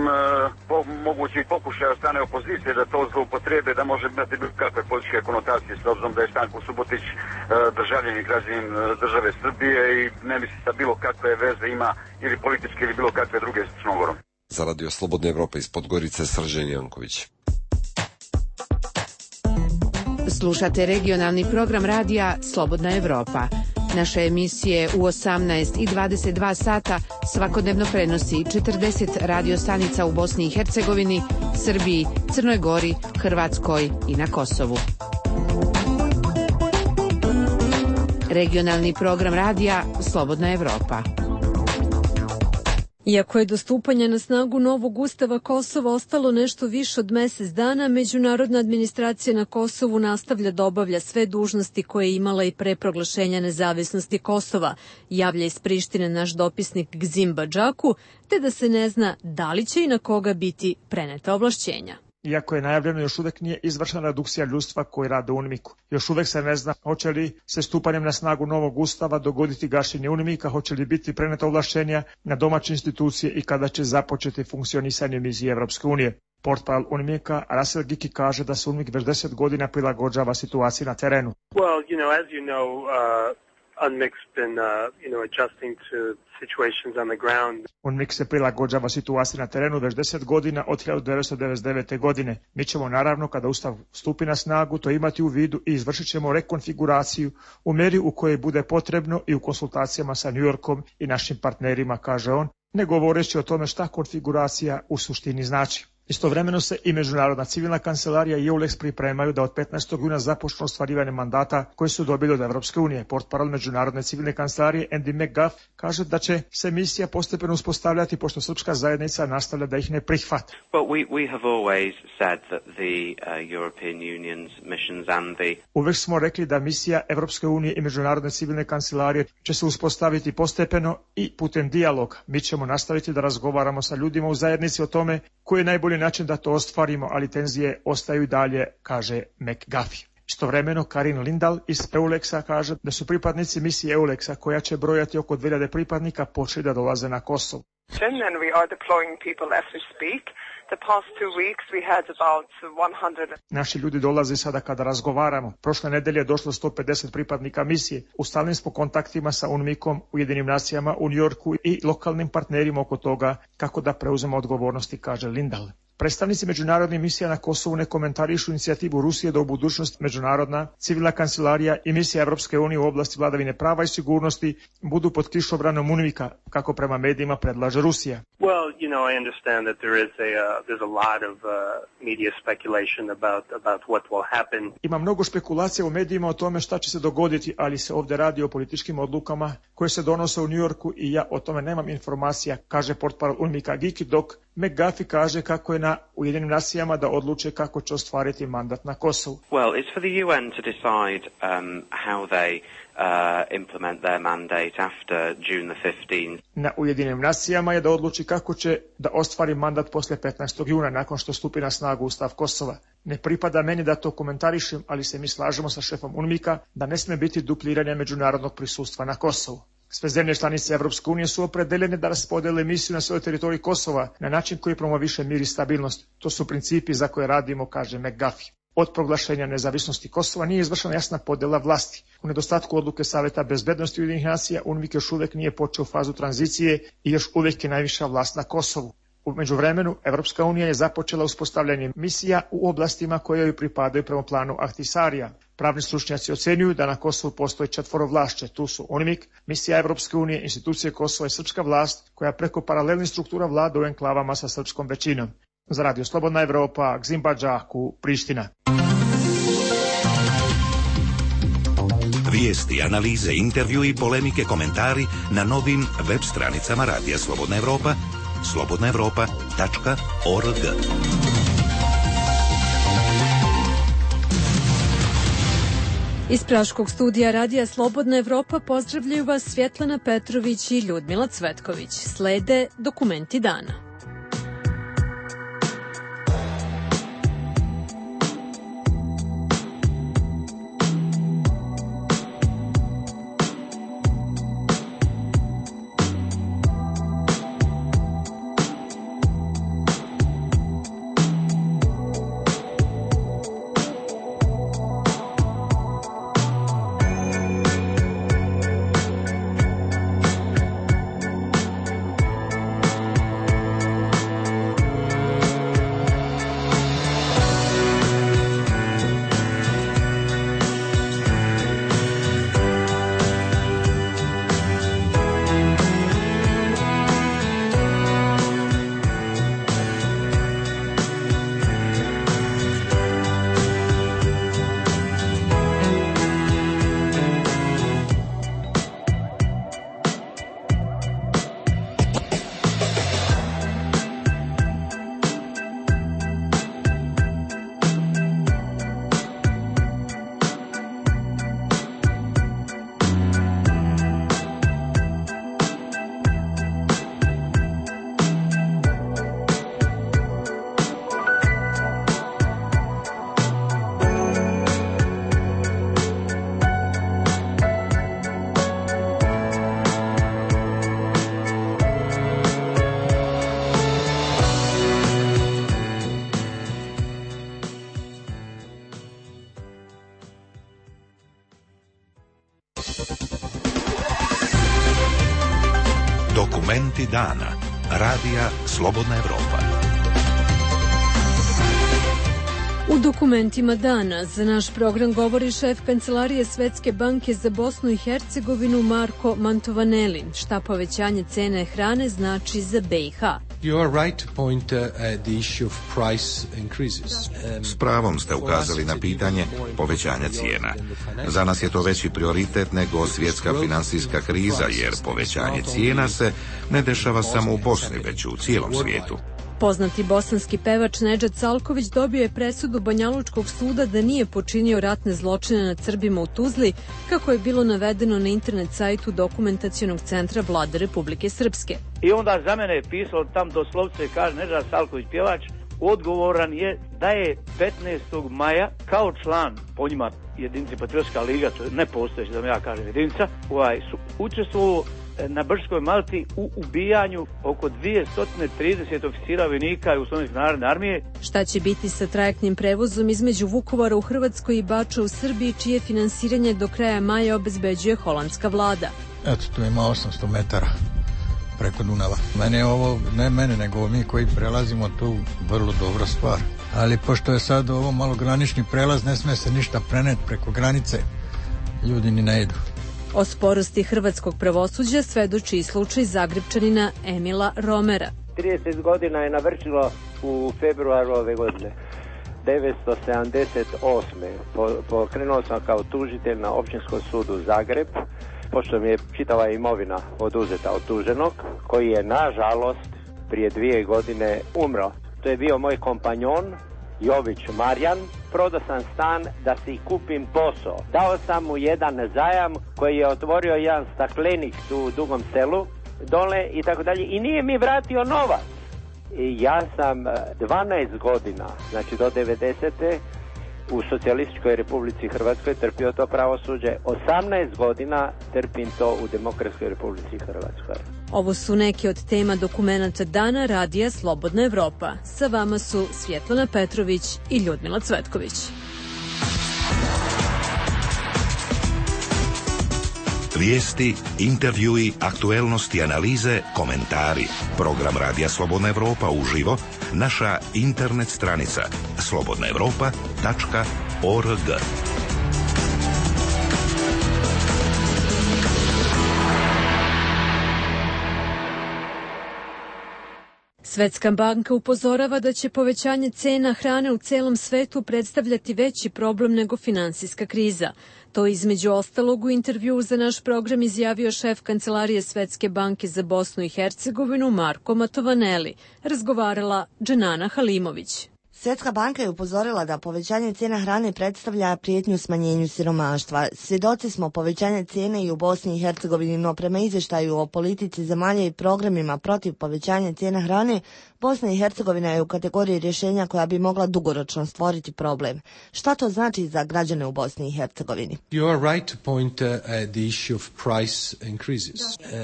Speaker 9: mogućih pokušaja od strane opozicije da to zloupotrebe, da može imati bilo kakve političke konotacije, s obzirom da je Stanko Subotić državljanin i građanin države Srbije i ne misli da bilo kakve veze ima ili političke ili bilo kakve druge s Crnom Gorom.
Speaker 8: Za Radio Slobodna Evropa iz Podgorice, Srđan Janković.
Speaker 11: Slušate regionalni program radija Slobodna Evropa. Naše emisije u 18 i 22 sata svakodnevno prenosi 40 radio stanica u Bosni i Hercegovini, Srbiji, Crnoj Gori, Hrvatskoj i na Kosovu. Regionalni program radija Slobodna Evropa.
Speaker 1: Iako je do stupanja na snagu novog ustava Kosova ostalo nešto više od mesec dana, međunarodna administracija na Kosovu nastavlja da obavlja sve dužnosti koje je imala i pre proglašenja nezavisnosti Kosova, javlja iz Prištine naš dopisnik Gzim Badžaku, te da se ne zna da li će i na koga biti preneta ovlašćenja.
Speaker 2: Iako je najavljeno, još uvek nije izvršena redukcija ljudstva koji rade u UNMIK-u. Još uvek se ne zna hoće li se stupanjem na snagu novog ustava dogoditi gašenje UNMIK-a, hoće li biti preneta ovlašćenja na domaće institucije i kada će započeti funkcionisanje misije Evropske unije. Portparol UNMIK-a Rasel Giki kaže da se UNMIK već 10 godina prilagođava situaciji na terenu.
Speaker 12: UNMIK's been, adjusting to situations on the ground.
Speaker 2: UNMIK se prilagođava situaciji na terenu već 10 godina od 1999. godine. Mi ćemo naravno, kada ustav stupi na snagu, to imati u vidu i izvršit ćemo rekonfiguraciju u meri u kojoj bude potrebno i u konsultacijama sa New Yorkom i našim partnerima, kaže on, ne govoreći o tome šta konfiguracija u suštini znači. Istovremeno se i Međunarodna civilna kancelarija i EULEX pripremaju da od 15. juna započnu ostvarivanje mandata koje su dobili od Evropske unije. Portparol Međunarodne civilne kancelarije Andy McGuff kaže da će se misija postepeno uspostavljati pošto srpska zajednica nastavlja da ih ne prihvata. Uvek smo rekli da misija Evropske unije i Međunarodne civilne kancelarije će se uspostaviti postepeno i putem dijaloga. Mi ćemo nastaviti da razgovaramo sa ljudima u zajednici o tome koji je najbolji način da to ostvarimo, ali tenzije ostaju i dalje, kaže McGuffey. Istovremeno, Karin Lindahl iz EULEX-a kaže da su pripadnici misije EULEX-a, koja će brojati oko 2000 pripadnika, počeli da dolaze na Kosovo.
Speaker 14: And we are deploying people as we speak. The past 2 weeks we had about 100.
Speaker 2: Naši ljudi dolaze sada kada razgovaramo. Prošle nedelje je došlo 150 pripadnika misije. U stalnim smo kontaktima sa UNMIK-om, Ujedinim nacijama u Njujorku i lokalnim partnerima oko toga kako da preuzemo odgovornosti, kaže Lindahl. Predstavnici međunarodnih misija na Kosovu ne komentarišu inicijativu Rusije da u budućnosti Međunarodna civilna kancelarija i misija Evropske unije u oblasti vladavine prava i sigurnosti budu pod kišobranom UNMIK-a, kako prema medijima predlaže Rusija.
Speaker 12: Well, I understand that there's a lot of media speculation about what will happen.
Speaker 2: Ima mnogo špekulacija u medijima o tome šta će se dogoditi, ali se ovde radi o političkim odlukama koje se donose u Njujorku i ja o tome nemam informacija, kaže portparol UNMIK-a Giki, dok McGuffey kaže kako je na Ujedinim nacijama da odluče kako će ostvariti mandat na Kosovu.
Speaker 15: Well, it's for the UN to decide how they implement their mandate after June the 15th.
Speaker 2: Na Ujedinim nacijama je da odluči kako će da ostvari mandat posle 15. juna nakon što stupi na snagu ustav Kosova. Ne pripada meni da to komentarišem, ali se mi slažemo sa šefom UNMIK-a da ne sme biti dupliranja međunarodnog prisustva na Kosovu. Sve zemlje članice Evropske unije su opredeljene da raspodele misiju na svojoj teritoriji Kosova na način koji promoviše mir i stabilnost. To su principi za koje radimo, kaže McGuffey. Od proglašenja nezavisnosti Kosova nije izvršena jasna podela vlasti. U nedostatku odluke Saveta bezbednosti Ujedinjenih nacija, UNMIK još uvek nije počeo fazu tranzicije i još uvek je najviša vlast na Kosovu. U međuvremenu, Evropska unija je započela uspostavljanje misija u oblastima koje joj pripadaju prema planu Ahtisarija. Pravni stručnjaci ocenjuju da na Kosovu postoji 4 vlašće. Tu su UNMIK, misija Evropske unije, institucije Kosova i srpska vlast, koja preko paralelnih struktura vlada u enklavama sa srpskom većinom. Za Radio Slobodna Evropa, Gzim Badžaku, Priština.
Speaker 7: Vijesti, analize, intervju i polemike, komentari na novim web stranicama Radija Slobodna Evropa, slobodnaevropa.org.
Speaker 1: Iz Praškog studija Radija Slobodna Evropa pozdravljaju vas Svjetlana Petrović i Ljudmila Cvetković. Slede dokumenti dana.
Speaker 7: Dokumenti dana. Radija Slobodna Evropa.
Speaker 1: U dokumentima dana za naš program govori šef Kancelarije Svetske banke za Bosnu i Hercegovinu Marko Mantovaneli. Šta povećanje cene hrane znači za BiH?
Speaker 7: S pravom ste ukazali na pitanje povećanja cijena. Za nas je to veći prioritet nego svjetska finansijska kriza, jer povećanje cijena se ne dešava samo u Bosni, već u cijelom svijetu.
Speaker 1: Poznati bosanski pevač Nedžad Salković dobio je presudu Banjalučkog suda da nije počinio ratne zločine nad Srbima u Tuzli, kako je bilo navedeno na internet sajtu Dokumentacionog centra Vlade Republike Srpske.
Speaker 13: I onda za mene je pisalo tam doslovce, kaže Nedžad Salković pjevač, odgovoran je da je 15. maja kao član po njima jedinice Patriotska liga, to je nepostojeća da mi ja kažem jedinica, su učestvovao na Brčkoj Malti u ubijanju oko 230 oficira vojnika Jugoslovenske narodne armije.
Speaker 1: Šta će biti sa trajektnim prevozom između Vukovara u Hrvatskoj i Bača u Srbiji, čije finansiranje do kraja maja obezbeđuje holandska vlada?
Speaker 16: Eto, tu ima 800 metara preko Dunava. Mene je ovo, ne mene, nego mi koji prelazimo tu, vrlo dobra stvar. Ali pošto je sad ovo malo granični prelaz, ne sme se ništa preneti preko granice, ljudi ni ne idu.
Speaker 1: O sporosti hrvatskog pravosuđa svedoči i slučaj Zagrepčanina Emila Romera.
Speaker 17: 30 godina je navršilo u februaru ove godine. 1978. Pokrenuo sam kao tužitelj na Općinskom sudu Zagreb, pošto mi je čitava imovina oduzeta od tuženog, koji je nažalost prije 2 godine umro. To je bio moj kompanjon Jović Marjan. Prodao sam stan da si kupim posao. Dao sam mu jedan zajam koji je otvorio jedan staklenik tu u Dugom Selu dole i tako dalje i nije mi vratio novac. I ja sam 12 godina, znači do 90. u Socijalističkoj Republici Hrvatskoj trpio to pravosuđe. 18 godina trpim to u Demokratskoj Republici Hrvatskoj.
Speaker 1: Ovo su neke od tema dokumenata dana Radija Slobodna Evropa. Sa vama su Svjetlana Petrović i Ljudmila Cvetković.
Speaker 7: Vijesti, intervjui, aktuelnosti, analize, komentari. Program Radija Slobodna Evropa uživo, naša internet stranica slobodnaevropa.org.
Speaker 1: Svetska banka upozorava da će povećanje cena hrane u celom svetu predstavljati veći problem nego finansijska kriza. To između ostalog u intervjuu za naš program izjavio šef Kancelarije Svetske banke za Bosnu i Hercegovinu Marko Mantovaneli. Razgovarala Dženana Halimović.
Speaker 18: Svetska banka je upozorila da povećanje cijena hrane predstavlja prijetnju smanjenju siromaštva. Svjedoci smo povećanja cijene i u Bosni i Hercegovini, no prema izvještaju o politici zemalja i programima protiv povećanja cijena hrane, Bosna i Hercegovina je u kategoriji rješenja koja bi mogla dugoročno stvoriti problem. Šta to znači za građane u Bosni i Hercegovini?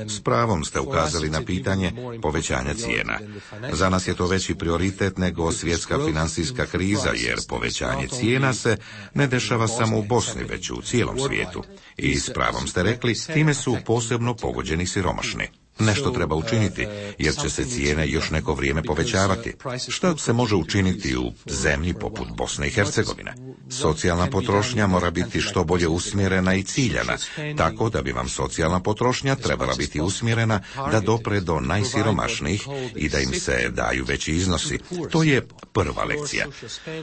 Speaker 7: S pravom ste ukazali na pitanje povećanja cijena. Za nas je to veći prioritet nego svjetska finansijska kriza, jer povećanje cijena se ne dešava samo u Bosni, već u cijelom svijetu. I s pravom ste rekli, time su posebno pogođeni siromašni. Nešto treba učiniti, jer će se cijene još neko vrijeme povećavati. Šta se može učiniti u zemlji poput Bosne i Hercegovine? Socijalna potrošnja mora biti što bolje usmjerena i ciljana, tako da bi vam socijalna potrošnja trebala biti usmjerena da dopre do najsiromašnijih i da im se daju veći iznosi. To je prva lekcija.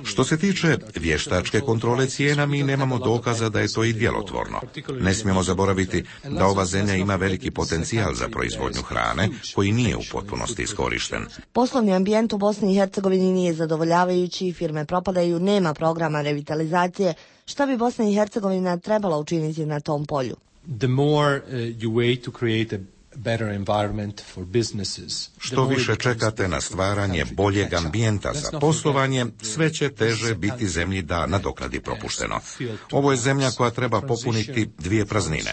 Speaker 7: Što se tiče vještačke kontrole cijena, mi nemamo dokaza da je to i djelotvorno. Ne smijemo zaboraviti da ova zemlja ima veliki potencijal za proizvodnju hrane koji nije u potpunosti iskorišten.
Speaker 18: Poslovni ambijent u Bosni i Hercegovini nije zadovoljavajući, firme propadaju, nema programa revitalizacije. Šta bi Bosna i Hercegovina trebala učiniti na tom polju?
Speaker 7: Što više čekate na stvaranje boljeg ambijenta za poslovanje, sve će teže biti zemlji da nadoknadi propušteno. Ovo je zemlja koja treba popuniti dvije praznine.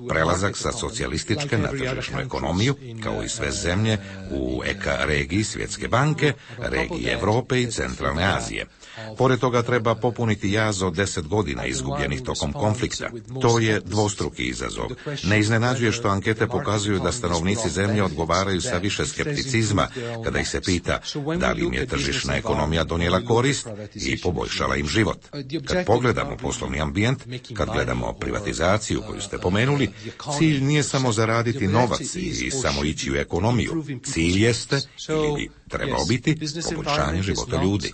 Speaker 7: Prelazak sa socijalističke na tržišnu ekonomiju, kao i sve zemlje u EKA regiji Svjetske banke, regiji Europe i Centralne Azije. Pored toga treba popuniti jaz od 10 godina izgubljenih tokom konflikta. To je dvostruki izazov. Ne iznenađuje što ankete pokazuju smatraju da stanovnici zemlje odgovaraju sa više skepticizma kada ih se pita da li im je tržišna ekonomija donijela korist i poboljšala im život. Kad pogledamo poslovni ambijent, kad gledamo privatizaciju koju ste pomenuli, cilj nije samo zaraditi novac i samo ići u ekonomiju. Cilj jeste, ili bi trebao biti, poboljšanje života ljudi.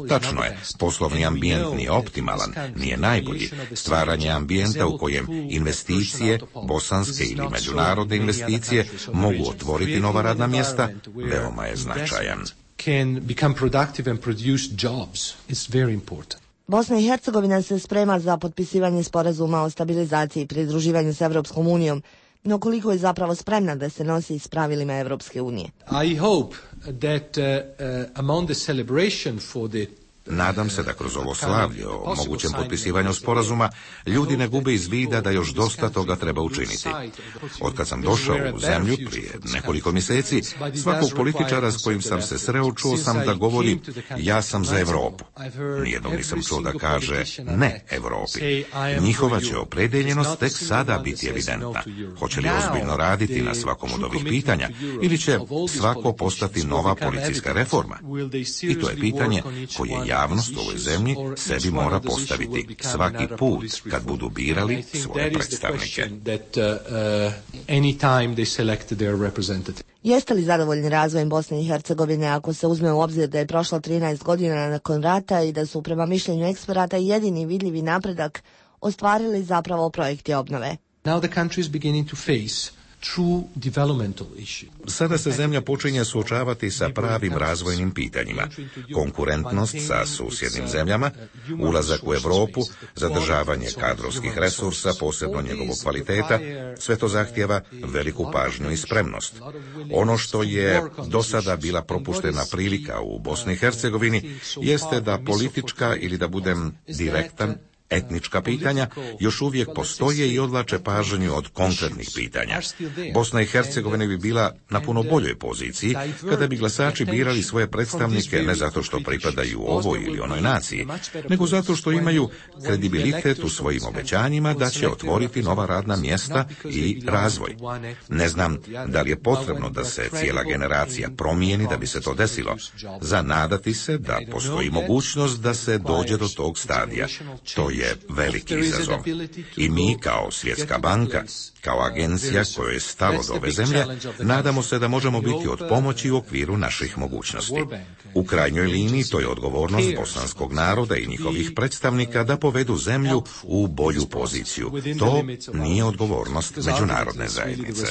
Speaker 7: Tačno je, poslovni ambijent nije optimalan, nije najbolji. Stvaranje ambijenta u kojem investicije, bosanske ili međunarodne investicije mogu otvoriti nova radna mjesta, veoma je značajan.
Speaker 18: Bosna i Hercegovina se sprema za potpisivanje sporazuma o stabilizaciji i pridruživanju s Evropskom unijom, no koliko je zapravo spremna da se nosi s pravilima Evropske unije?
Speaker 4: I hope that among the celebration for the
Speaker 7: Nadam se da kroz ovo slavlje o mogućem potpisivanju sporazuma ljudi ne gube iz vida da još dosta toga treba učiniti. Otkad sam došao u zemlju prije nekoliko mjeseci, svakog političara s kojim sam se sreo čuo sam da govori ja sam za Europu. Nijednog nisam čuo da kaže ne Europi. Njihova će opredeljenost tek sada biti evidentna. Hoće li ozbiljno raditi na svakom od ovih pitanja ili će svako postati nova policijska reforma? I to je pitanje koje javnost u ovoj zemlji sebi mora postaviti svaki put kad budu birali svoje predstavnike.
Speaker 18: Jeste li zadovoljni razvojem Bosne i Hercegovine ako se uzme u obzir da je prošlo 13 godina nakon rata i da su prema mišljenju eksperata jedini vidljivi napredak ostvarili zapravo projekti obnove?
Speaker 4: Now the country is beginning to face true developmental issue.
Speaker 7: Sada se zemlja počinje suočavati sa pravim razvojnim pitanjima. Konkurentnost sa susjednim zemljama, ulazak u Europu, zadržavanje kadrovskih resursa, posebno njegovog kvaliteta, sve to zahtijeva veliku pažnju i spremnost. Ono što je do sada bila propuštena prilika u Bosni i Hercegovini jeste da politička ili da budem direktan, etnička pitanja još uvijek postoje i odvlače pažnju od konkretnih pitanja. Bosna i Hercegovina bi bila na puno boljoj poziciji kada bi glasači birali svoje predstavnike ne zato što pripadaju ovoj ili onoj naciji, nego zato što imaju kredibilitet u svojim obećanjima da će otvoriti nova radna mjesta i razvoj. Ne znam da li je potrebno da se cijela generacija promijeni da bi se to desilo. Za nadati se da postoji mogućnost da se dođe do tog stadija. To je veliki izazov. I mi kao Svjetska banka, kao agencija kojoj je stalo do ove zemlje, nadamo se da možemo biti od pomoći u okviru naših mogućnosti. U krajnjoj liniji to je odgovornost bosanskog naroda i njihovih predstavnika da povedu zemlju u bolju poziciju. To nije odgovornost međunarodne zajednice.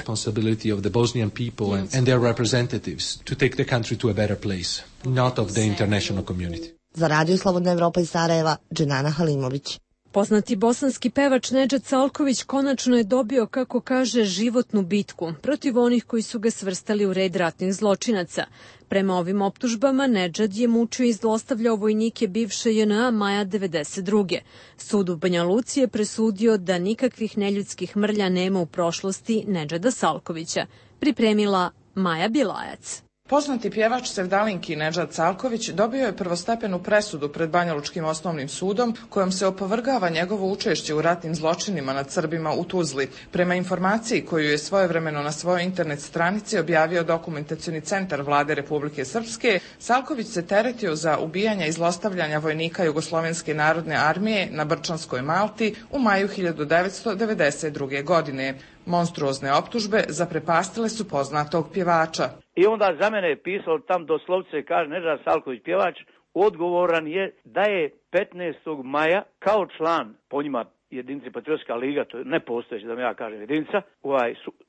Speaker 18: Za Radio Slobodna Evropa iz Sarajeva, Dženana Halimović.
Speaker 1: Poznati bosanski pevač Nedžad Salković konačno je dobio, kako kaže, životnu bitku protiv onih koji su ga svrstali u red ratnih zločinaca. Prema ovim optužbama, Nedžad je mučio i zlostavljao vojnike bivše JNA maja 1992. Sud u Banja Luci je presudio da nikakvih neljudskih mrlja nema u prošlosti Nedžada Salkovića. Pripremila Maja Bilajac.
Speaker 5: Poznati pjevač sevdalinki Nedžad Salković dobio je prvostepenu presudu pred Banjalučkim osnovnim sudom kojom se opovrgava njegovo učešće u ratnim zločinima nad Srbima u Tuzli. Prema informaciji koju je svojevremeno na svojoj internet stranici objavio Dokumentacioni centar Vlade Republike Srpske, Salković se teretio za ubijanje i zlostavljanja vojnika Jugoslovenske narodne armije na Brčanskoj Malti u maju 1992. godine. Monstruozne optužbe zaprepastile su poznatog pjevača.
Speaker 13: I onda za mene je pisao tam doslovce, kaže Nedžad Salković pjevač, odgovoran je da je 15. maja kao član, po njima jedinice Patriotska liga, to je nepostojeća da mi ja kažem jedinica,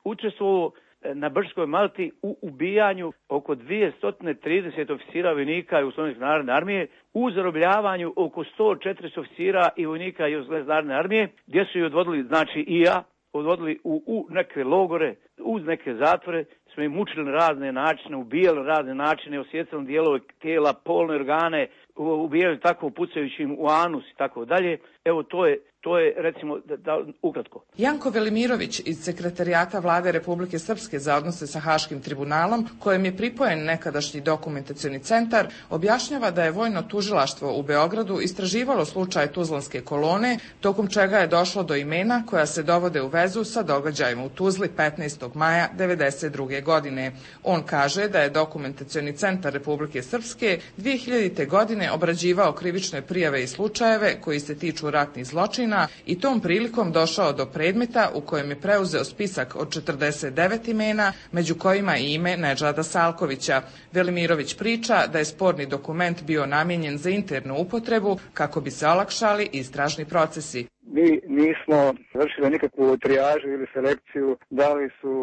Speaker 13: učestvovao na Brčkoj Malti u ubijanju oko 230 oficira vojnika Jugoslovenske narodne armije, u zarobljavanju oko 140 oficira i vojnika Jugoslovenske narodne armije, gdje su ih odvodili, znači i ja, odvodili u neke logore, uz neke zatvore, smo im mučili na razne načine, ubijali na razne načine, osjecali dijelove tijela, polne organe, ubijali tako pucajući im u anus i tako dalje. Evo to je To je, recimo, da ukratko.
Speaker 5: Janko Velimirović iz Sekretarijata Vlade Republike Srpske za odnose sa Haškim tribunalom, kojem je pripojen nekadašnji dokumentacioni centar, objašnjava da je Vojno tužilaštvo u Beogradu istraživalo slučaj Tuzlanske kolone, tokom čega je došlo do imena koja se dovode u vezu sa događajima u Tuzli 15. maja 1992. godine. On kaže da je dokumentacioni centar Republike Srpske 2000. godine obrađivao krivične prijave i slučajeve koji se tiču ratnih zločina i tom prilikom došao do predmeta u kojem je preuzeo spisak od 49 imena, među kojima i ime Nedžada Salkovića. Velimirović priča da je sporni dokument bio namijenjen za internu upotrebu kako bi se olakšali istražni procesi.
Speaker 19: Mi nismo vršili nikakvu trijažu ili selekciju, da li su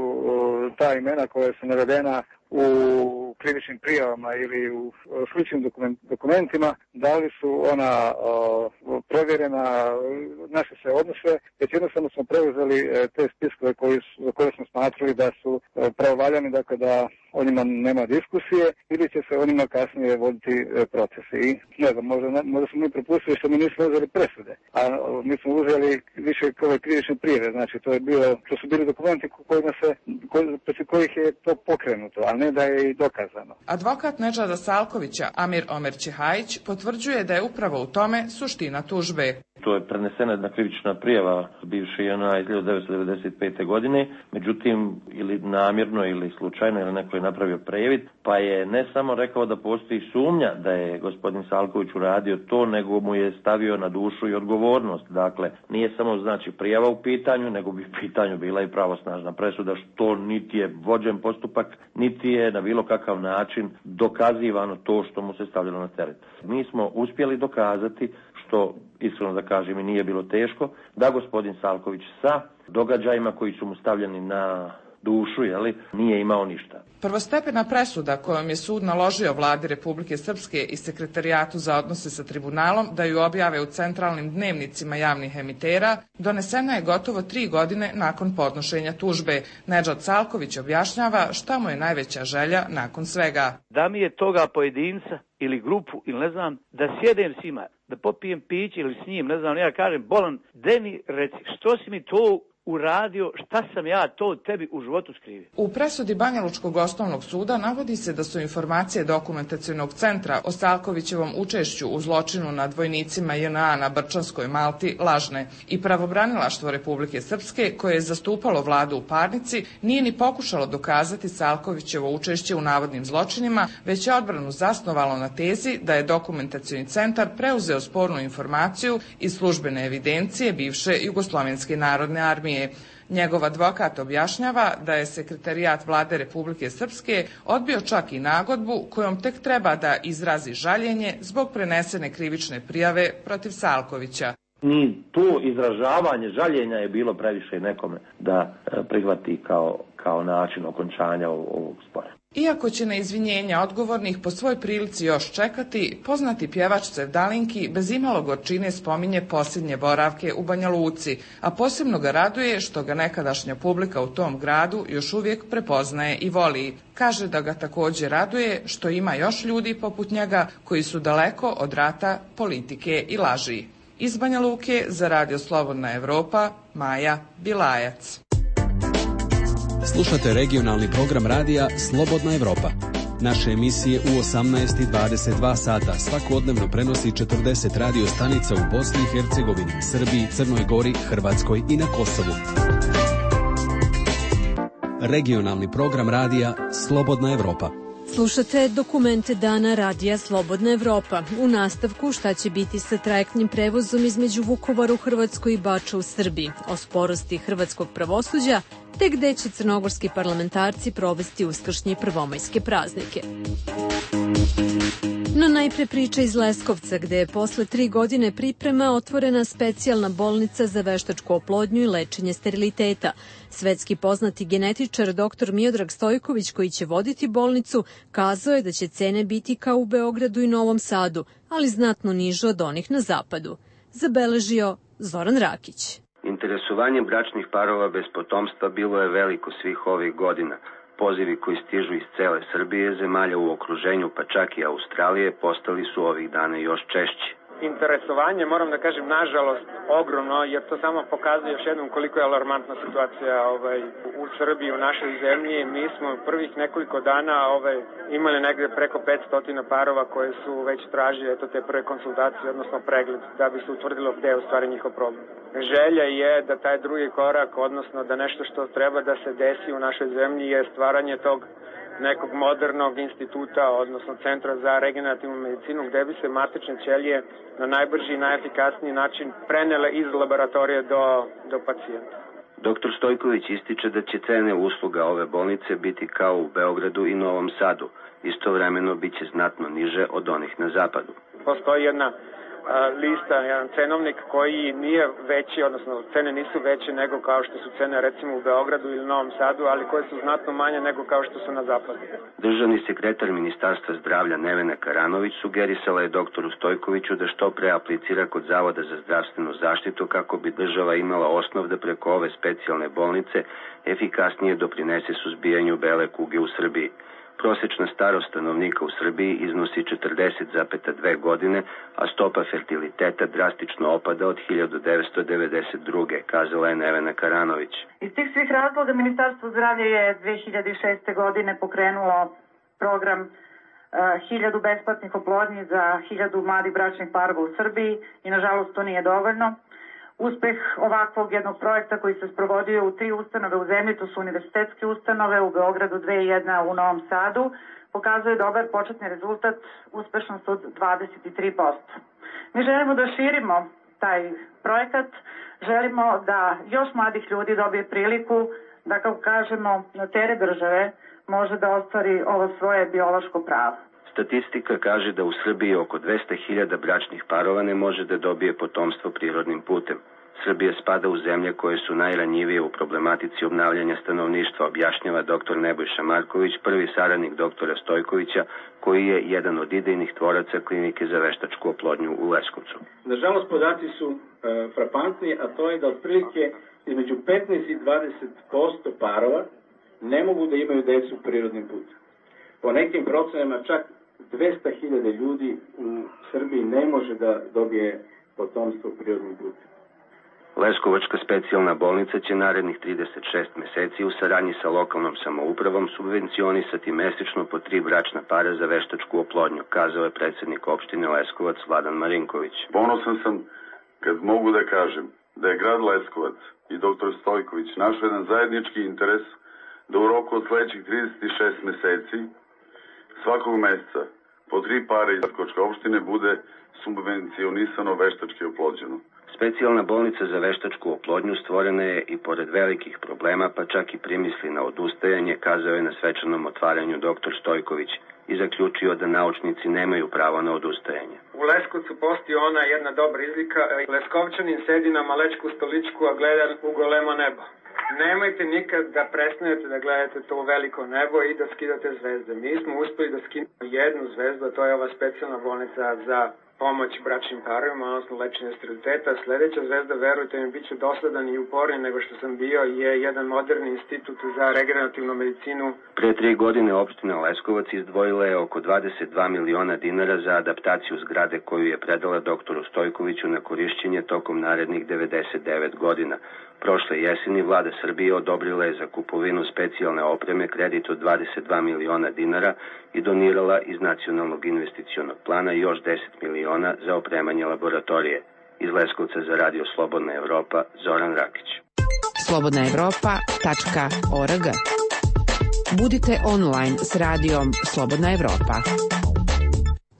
Speaker 19: ta imena koja su navedena u krivičnim prijavama ili u sličnim dokumentima, da li su ona provjerena, naše se odnose, već jednostavno smo preuzeli te spiskove za koje smo smatrali da su pravovaljani, dakle da o njima nema diskusije ili će se o njima kasnije voditi procesi. I ne znam, možda smo mi propustili što mi nismo uzeli presude, a mi smo uzeli više ove krivične prijave, znači to su bili dokumenti protiv kojih je to pokrenuto, a ne da je i dokazano.
Speaker 5: Advokat Nedžada Salkovića, Amir Omer Čehajić, potvrđuje da je upravo u tome suština tužbe.
Speaker 20: To je prenesena jedna krivična prijava bivše JNA iz 1995. godine, međutim ili namjerno ili slučajno ili neko je napravio previd, pa je ne samo rekao da postoji sumnja da je gospodin Salković uradio to, nego mu je stavio na dušu i odgovornost. Dakle, nije samo znači prijava u pitanju, nego bi u pitanju bila i pravosnažna presuda, što niti je vođen postupak, niti je na bilo kakav način dokazivano to što mu se stavljalo na teret. Mi smo uspjeli dokazati, što iskreno da kažem i nije bilo teško, da gospodin Salković sa događajima koji su mu stavljeni na dušu, nije imao ništa.
Speaker 5: Prvostepena presuda kojom je sud naložio Vladi Republike Srpske i Sekretarijatu za odnose sa tribunalom da ju objave u centralnim dnevnicima javnih emitera, donesena je gotovo 3 godine nakon podnošenja tužbe. Nedžad Salković objašnjava šta mu je najveća želja nakon svega.
Speaker 13: Da mi je toga pojedinca ili grupu ili ne znam, da sjedem s njima, da popijem piće ili s njim, ne znam, ja kažem, bolan, Deni, reci, što si mi to uradio, šta sam ja to tebi u životu skrivio?
Speaker 5: U presudi Banjalučkog osnovnog suda navodi se da su informacije dokumentacionog centra o Salkovićevom učešću u zločinu nad vojnicima JNA na Brčanskoj Malti lažne i pravobranilaštvo Republike Srpske, koje je zastupalo vladu u parnici, nije ni pokušalo dokazati Salkovićevo učešće u navodnim zločinima, već je odbranu zasnovalo na tezi da je dokumentacioni centar preuzeo spornu informaciju iz službene evidencije bivše Jugoslovenske narodne armije. Njegov advokat objašnjava da je Sekretarijat Vlade Republike Srpske odbio čak i nagodbu kojom tek treba da izrazi žaljenje zbog prenesene krivične prijave protiv Salkovića.
Speaker 20: Ni to izražavanje žaljenja je bilo previše nekome da prihvati kao način okončanja ovog spora.
Speaker 5: Iako će na izvinjenja odgovornih po svoj prilici još čekati, poznati pjevač Sevdalinki bez imalo gorčine spominje posljednje boravke u Banja Luci, a posebno ga raduje što ga nekadašnja publika u tom gradu još uvijek prepoznaje i voli. Kaže da ga također raduje što ima još ljudi poput njega koji su daleko od rata, politike i laži. Iz Banja Luke za Radio Slobodna Evropa, Maja Bilajac.
Speaker 21: Slušate regionalni program radija Slobodna Evropa. Naše emisije u 18 i 22 sata svakodnevno prenosi 40 radio stanica u Bosni i Hercegovini, Srbiji, Crnoj Gori, Hrvatskoj i na Kosovu. Regionalni program radija Slobodna Evropa.
Speaker 1: Slušate dokumente dana radija Slobodna Evropa. U nastavku šta će biti sa trajektnim prevozom između Vukovara u Hrvatskoj i Bača u Srbiji, o sporosti hrvatskog pravosuđa, te gde će crnogorski parlamentarci provesti uskršnje i prvomajske praznike. No najpre priča iz Leskovca, gde je posle 3 godine priprema otvorena specijalna bolnica za veštačku oplodnju i lečenje steriliteta. Svetski poznati genetičar dr. Miodrag Stojković, koji će voditi bolnicu, kazao je da će cene biti kao u Beogradu i Novom Sadu, ali znatno niže od onih na zapadu. Zabeležio Zoran Rakić.
Speaker 22: Interesovanje bračnih parova bez potomstva bilo je veliko svih ovih godina. Pozivi koji stižu iz cele Srbije, zemalja u okruženju, pa čak i Australije, postali su ovih dana još češći.
Speaker 3: interesovanje, moram da kažem nažalost ogromno, jer to samo pokazuje još jednom koliko je alarmantna situacija u Srbiji, u našoj zemlji. Mi smo prvih nekoliko dana imali negde preko 500 parova koje su već tražili te prve konsultacije, odnosno pregled, da bi se utvrdilo gde je u stvari njihov problem. Želja je da taj drugi korak, odnosno da nešto što treba da se desi u našoj zemlji je stvaranje tog nekog modernog instituta, odnosno centra za regenerativnu medicinu, gde bi se matične ćelije na najbrži i najefikasniji način prenele iz laboratorije do pacijenta.
Speaker 22: Dr. Stojković ističe da će cene usluga ove bolnice biti kao u Beogradu i Novom Sadu. Istovremeno biće znatno niže od onih na zapadu.
Speaker 3: Postoji jedna lista, jedan cenovnik koji nije veći, odnosno cene nisu veće nego kao što su cene recimo u Beogradu ili Novom Sadu, ali koje su znatno manje nego kao što su na zapadu.
Speaker 22: Državni sekretar Ministarstva zdravlja Nevena Karanović sugerisala je doktoru Stojkoviću da što pre aplicira kod Zavoda za zdravstvenu zaštitu kako bi država imala osnov da preko ove specijalne bolnice efikasnije doprinese suzbijanju bele kuge u Srbiji. Prosečna starost stanovnika u Srbiji iznosi 40,2 godine, a stopa fertiliteta drastično opada od 1992. kazala je Nevena Karanović.
Speaker 6: Iz tih svih razloga Ministarstvo zdravlja je 2006. godine pokrenulo program 1000 besplatnih oplodnji za 1000 mladih bračnih parova u Srbiji i nažalost to nije dovoljno. Uspeh ovakvog jednog projekta koji se sprovodio u 3 ustanove u zemlji, to su univerzitetske ustanove, u Beogradu 2 i 1 u Novom Sadu, pokazuje dobar početni rezultat, uspešnost od 23%. Mi želimo da širimo taj projekat, želimo da još mladih ljudi dobije priliku da, kako kažemo, na teret države može da ostvari ovo svoje biološko pravo.
Speaker 22: Statistika kaže da u Srbiji oko 200.000 bračnih parova ne može da dobije potomstvo prirodnim putem. Srbija spada u zemlje koje su najranjivije u problematici obnavljanja stanovništva, objašnjava dr. Nebojša Marković, prvi saradnik doktora Stojkovića, koji je jedan od idejnih tvoraca klinike za veštačku oplodnju u Leskovcu.
Speaker 10: Nažalost, podaci su frapantni, a to je da otprilike između 15 i 20% parova ne mogu da imaju decu prirodnim putem. Po nekim procenama čak 200.000 ljudi u Srbiji ne može da dobije potomstvo prirodnim putem.
Speaker 22: Leskovačka specijalna bolnica će narednih 36 meseci u saradnji sa lokalnom samoupravom subvencionisati mesečno po 3 bračna para za veštačku oplodnju, kazao je predsednik opštine Leskovac Vladan Marinković.
Speaker 23: Ponosan sam kad mogu da kažem da je grad Leskovac i dr. Stojković našao jedan zajednički interes da u roku od sledećih 36 meseci svakog meseca po 3 pare iz Leskovačke opštine bude subvencionisano veštački oplođeno.
Speaker 22: Specijalna bolnica za veštačku oplodnju stvorena je i pored velikih problema, pa čak i primisli na odustajanje, kazao je na svečanom otvaranju dr. Stojković i zaključio da naučnici nemaju pravo na odustajanje.
Speaker 3: U Leskovcu postoji ona jedna dobra izlika, Leskovčanin sedi na malečku stoličku, a gleda u golemo nebo. Nemojte nikad da prestanete da gledate to veliko nebo i da skidate zvezde. Mi smo uspeli da skinemo jednu zvezdu, a to je ova specijalna bolnica za pomoć bračnim parovima, odnosno lečenje steriliteta. Sledeća zvezda, verujte mi, bit ću dosadan i uporniji nego što sam bio, je jedan moderni institut za regenerativnu medicinu.
Speaker 22: Pre 3 godine opština Leskovac izdvojila je oko 22 miliona dinara za adaptaciju zgrade koju je predala doktoru Stojkoviću na korišćenje tokom narednih 99 godina. Prošle jeseni vlada Srbije odobrila je za kupovinu specijalne opreme kredit od 22 miliona dinara i donirala iz nacionalnog investicionog plana još 10 miliona za opremanje laboratorije. Iz Leskovca za Radio Slobodna Evropa, Zoran Rakić.
Speaker 11: slobodnaevropa.org. Budite online s radijom Slobodna Evropa.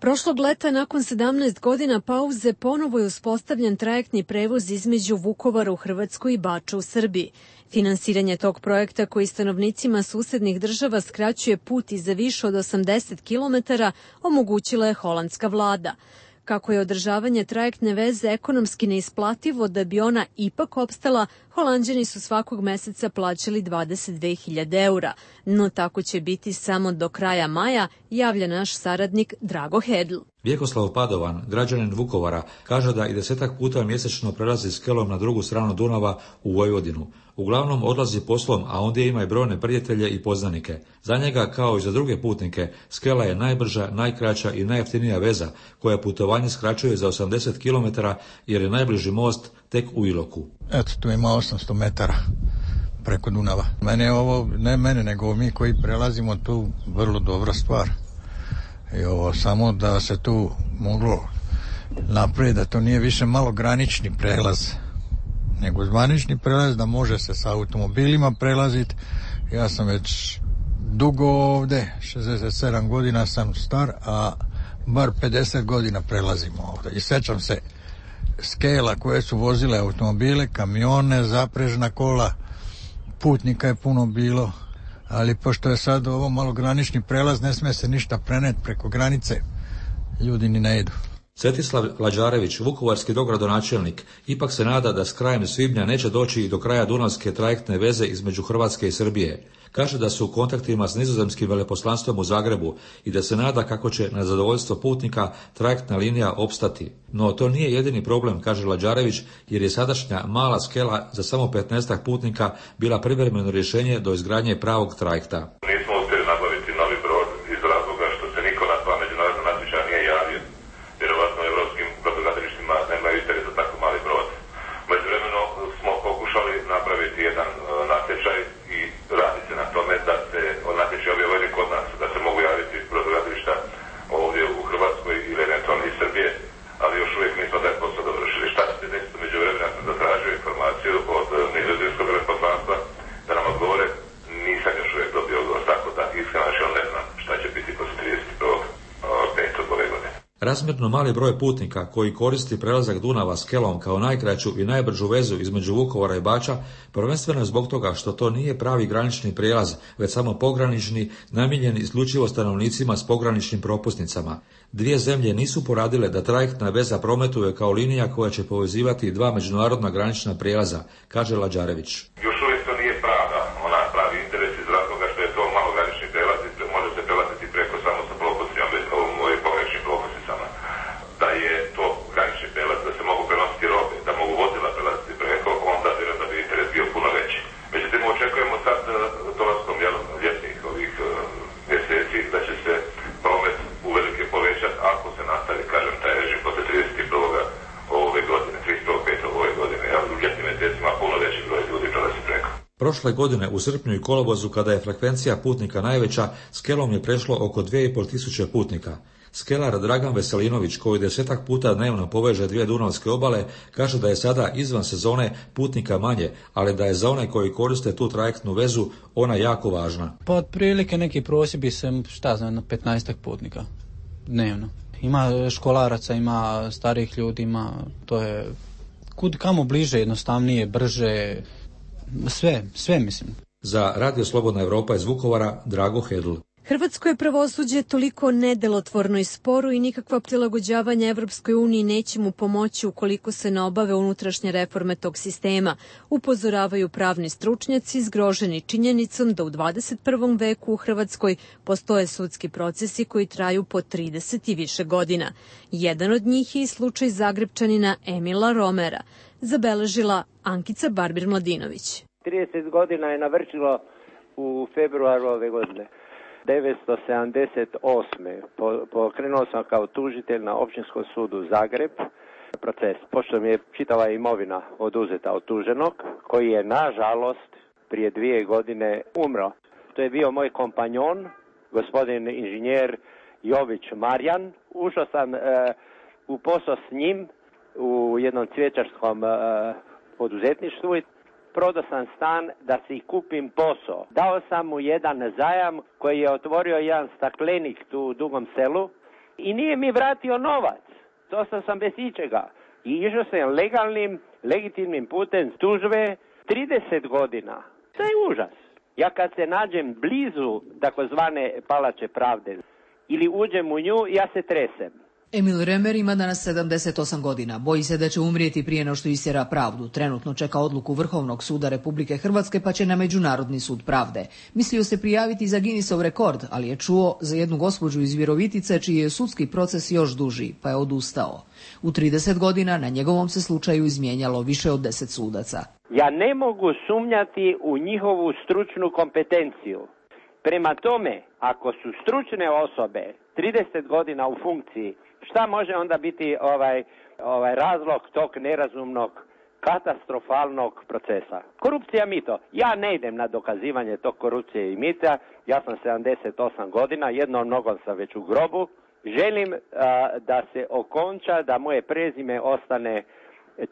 Speaker 1: Prošlog leta, nakon 17 godina pauze, ponovo je uspostavljen trajektni prevoz između Vukovara u Hrvatskoj i Bača u Srbiji. Finansiranje tog projekta, koji stanovnicima susednih država skraćuje put i za više od 80 km, omogućila je holandska vlada. Kako je održavanje trajektne veze ekonomski neisplativo, da bi ona ipak opstala, Holanđani su svakog meseca plaćali 22.000 eura. No tako će biti samo do kraja maja, javlja naš saradnik Drago Hedl.
Speaker 8: Vjekoslav Padovan, građanin Vukovara, kaže da i 10 puta mjesečno prelazi skelom na drugu stranu Dunava u Vojvodinu. Uglavnom odlazi poslom, a ondje ima i brojne prijatelje i poznanike. Za njega, kao i za druge putnike, skela je najbrža, najkraća i najjeftinija veza, koja putovanje skraćuje za 80 km jer je najbliži most tek u Iloku.
Speaker 16: Eto, tu ima 800 metara preko Dunava. Mene je ovo, ne mene, nego mi koji prelazimo tu, vrlo dobra stvar. I ovo samo da se tu moglo napraviti, da to nije više malo granični prelaz, nego zvanični prelaz, da može se sa automobilima prelaziti. Ja sam već dugo ovdje, 67 godina sam star, a bar 50 godina prelazimo ovdje. I sjećam se skela koje su vozile automobile, kamione, zaprežna kola, putnika je puno bilo, ali pošto je sad ovo malo granični prelaz, ne smije se ništa preneti preko granice, ljudi ni ne idu.
Speaker 8: Svetislav Lađarević, vukovarski dogradonačelnik, ipak se nada da s krajem svibnja neće doći i do kraja dunavske trajektne veze između Hrvatske i Srbije. Kaže da su u kontaktima s nizozemskim veleposlanstvom u Zagrebu i da se nada kako će na zadovoljstvo putnika trajektna linija opstati. No to nije jedini problem, kaže Lađarević, jer je sadašnja mala skela za samo 15 putnika bila privremeno rješenje do izgradnje pravog trajekta.
Speaker 9: Nismo uspjeli nabaviti novi brod iz razloga što se niko na dva međunarodna natječaja nije javio. Vjerovatno u evropskim brodogradilištima nemaju interes za tako mali brod. Međuvremeno smo pokušali napraviti jedan natječaj i radi se na tome da se natječaj objavljeni kod nas, da se mogu javiti brodogradilišta ovdje u Hrvatskoj ili eventualno iz Srbije, ali još uvijek nismo taj posao dovršili. Šta će se desiti međuvremeno? Ja sam zatražio informaciju od nizozemskog veleposlanstva da nam odgovore. Nisam još uvijek dobio odgovor, tako da iskreno ne znam šta će biti poslije 31.5. ove godine.
Speaker 8: Razmjerno mali broj putnika koji koristi prelazak Dunava skelom kao najkraću i najbržu vezu između Vukovara i Bača, prvenstveno zbog toga što to nije pravi granični prijelaz, već samo pogranični, namijenjen isključivo stanovnicima s pograničnim propusnicama. Dvije zemlje nisu poradile da trajektna veza prometuje kao linija koja će povezivati dva međunarodna granična prijelaza, kaže Lađarević.
Speaker 9: Još uvijek to nije pravi interes iz razloga što je to malo granični prijelaz i može se prelaziti preko samo sa propusnicama, pograničnim propusnicama. Da je to granični prijelaz, da se mogu prenositi robe, da mogu vozila prelaziti preko, onda vjerujem da bi interes bio puno veći. Međutim, očekujemo sad dolaskom ljetnih ovih mjeseci da će se promet uvelike povećati ako se nastavi, kažem, taj režim posle 31. ove godine, 31.5. ove godine. U ljetnim mjesecima puno veći broj ljudi prelazi preko.
Speaker 8: Prošle godine u srpnju i kolovozu, kada je frekvencija putnika najveća, skelom je prešlo oko 2500 putnika. Skelar Dragan Veselinović, koji 10 puta dnevno poveže dvije dunavske obale, kaže da je sada izvan sezone putnika manje, ali da je za one koji koriste tu trajektnu vezu ona jako važna.
Speaker 14: Pa otprilike neki prosjek bi se, 15 putnika dnevno. Ima školaraca, ima starih ljudi, ima, to je kud kamo bliže, jednostavnije, brže, sve mislim.
Speaker 8: Za Radio Slobodna Evropa iz Vukovara, Drago Hedl.
Speaker 1: Hrvatsko je pravosuđe toliko nedelotvorno i sporo i nikakva prilagođavanja Evropskoj uniji neće mu pomoći ukoliko se ne obave unutrašnje reforme tog sistema, upozoravaju pravni stručnjaci zgroženi činjenicom da u 21. veku u Hrvatskoj postoje sudski procesi koji traju po 30 i više godina. Jedan od njih je i slučaj Zagrebčanina Emila Romera, zabeležila Ankica Barbir-Mladinović.
Speaker 17: 30 godina je navršilo u februaru ove godine. 1978. Pokrenuo sam kao tužitelj na Općinskom sudu Zagreb proces, pošto mi je čitava imovina oduzeta od tuženog, koji je nažalost prije 2 godine umro. To je bio moj kompanjon, gospodin inženjer Jović Marjan. Ušao sam u posao s njim u jednom cvjećarskom poduzetništvu i prodao sam stan da si kupim posao. Dao sam mu jedan zajam koji je otvorio jedan staklenik tu u Dugom Selu i nije mi vratio novac. Ostao sam bez ičega. I išao sam legitimnim putem tužbe 30 godina. To je užas. Ja kad se nađem blizu takozvane palače pravde ili uđem u nju, ja se tresem.
Speaker 2: Emil Remer ima danas 78 godina. Boji se da će umrijeti prije no što istjera pravdu. Trenutno čeka odluku Vrhovnog suda Republike Hrvatske pa će na Međunarodni sud pravde. Mislio se prijaviti za Guinnessov rekord, ali je čuo za jednu gospođu iz Virovitice čiji je sudski proces još duži, pa je odustao. U 30 godina na njegovom se slučaju izmijenjalo više od 10 sudaca.
Speaker 12: Ja ne mogu sumnjati u njihovu stručnu kompetenciju. Prema tome, ako su stručne osobe 30 godina u funkciji, šta može onda biti razlog tog nerazumnog, katastrofalnog procesa? Korupcija, mito. Ja ne idem na dokazivanje tog korupcije i mita. Ja sam 78 godina, jednom nogom sam već u grobu. Želim da se okonča, da moje prezime ostane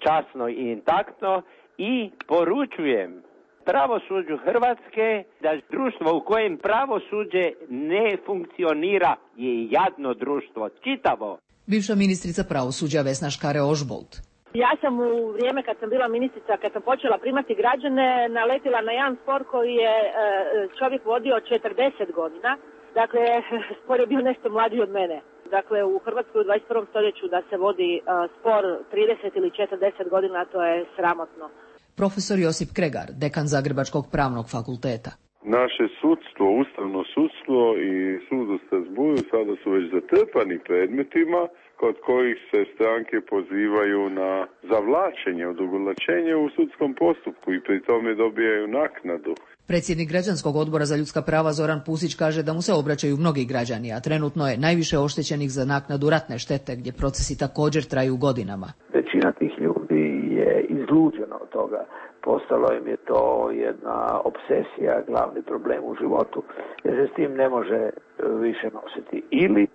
Speaker 12: časno i intaktno i poručujem pravosuđu Hrvatske da društvo u kojem pravosuđe ne funkcionira je jadno društvo, čitavo.
Speaker 2: Bivša ministrica pravosuđa Vesna Škare-Ožbolt.
Speaker 15: Ja sam u vrijeme kad sam bila ministrica, kad sam počela primati građane, naletila na jedan spor koji je čovjek vodio 40 godina. Dakle, spor je bio nešto mlađi od mene. Dakle, u Hrvatskoj u 21. stoljeću da se vodi spor 30 ili 40 godina, to je sramotno.
Speaker 2: Profesor Josip Kregar, dekan Zagrebačkog pravnog fakulteta.
Speaker 24: Naše sudstvo, ustavno sudstvo i sud u Strasbourgu sada su već zatrpani predmetima kod kojih se stranke pozivaju na zavlačenje, odugovlačenje u sudskom postupku i pri tome dobijaju naknadu.
Speaker 2: Predsjednik Građanskog odbora za ljudska prava Zoran Pusić kaže da mu se obraćaju mnogi građani, a trenutno je najviše oštećenih za naknadu ratne štete, gdje procesi također traju godinama.
Speaker 25: Većina tih ljudi je izluđena od toga. Postalo im je to jedna obsesija, glavni problem u životu, jer se s tim ne može više nositi. Ili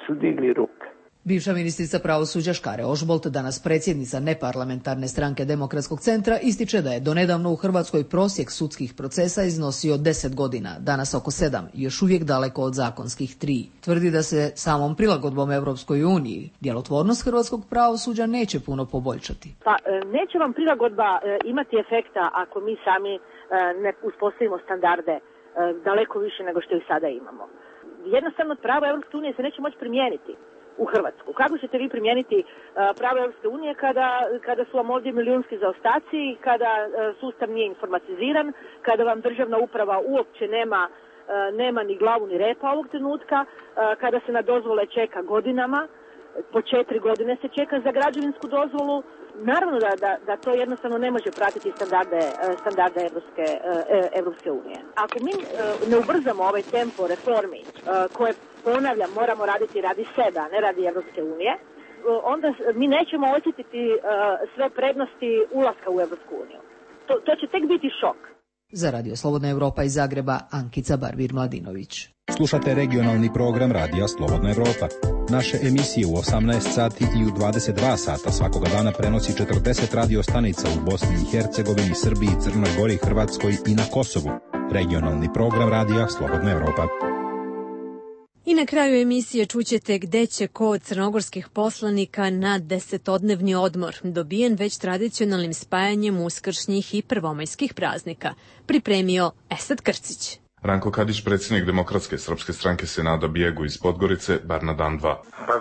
Speaker 25: su digli ruke.
Speaker 2: Bivša ministrica pravosuđa Škare-Ožbolt, danas predsjednica neparlamentarne stranke Demokratskog centra, ističe da je donedavno u Hrvatskoj prosjek sudskih procesa iznosio 10 godina, danas oko 7, još uvijek daleko od zakonskih 3. Tvrdi da se samom prilagodbom Europskoj uniji djelotvornost hrvatskog pravosuđa neće puno poboljšati.
Speaker 15: Pa neće vam prilagodba imati efekta ako mi sami ne uspostavimo standarde daleko više nego što ih sada imamo. Jednostavno pravo Europske unije se neće moći primijeniti u Hrvatsku. Kako ćete vi primijeniti pravo Europske unije kada su vam ovdje milijunski zaostaci, kada sustav nije informatiziran, kada vam državna uprava uopće nema ni glavu ni repa ovog trenutka, kada se na dozvole čeka godinama, po 4 godine se čeka za građevinsku dozvolu. Naravno da to jednostavno ne može pratiti standarde Evropske unije. Ako mi ne ubrzamo ovaj tempo reformi koje, ponavljam, moramo raditi radi sebe, a ne radi Evropske unije, onda mi nećemo osjetiti sve prednosti ulaska u Evropsku uniju. To će tek biti šok.
Speaker 2: Za Radio Slobodna Evropa iz Zagreba, Ankica Barbir-Mladinović.
Speaker 26: Slušate regionalni program Radija Slobodna Evropa. Naše emisije u 18 sati i u 22 sata svakoga dana prenosi 40 radio stanica u Bosni i Hercegovini, Srbiji, Crnoj Gori, Hrvatskoj i na Kosovu. Regionalni program Radija Slobodna Evropa.
Speaker 1: I na kraju emisije čućete gde će ko od crnogorskih poslanika na 10-odnevni odmor, dobijen već tradicionalnim spajanjem uskršnjih i prvomajskih praznika, pripremio Esad Krcić.
Speaker 27: Ranko Kadić, predsjednik Demokratske srpske stranke, se nada bijegu iz Podgorice, bar na dan 2.
Speaker 28: Pa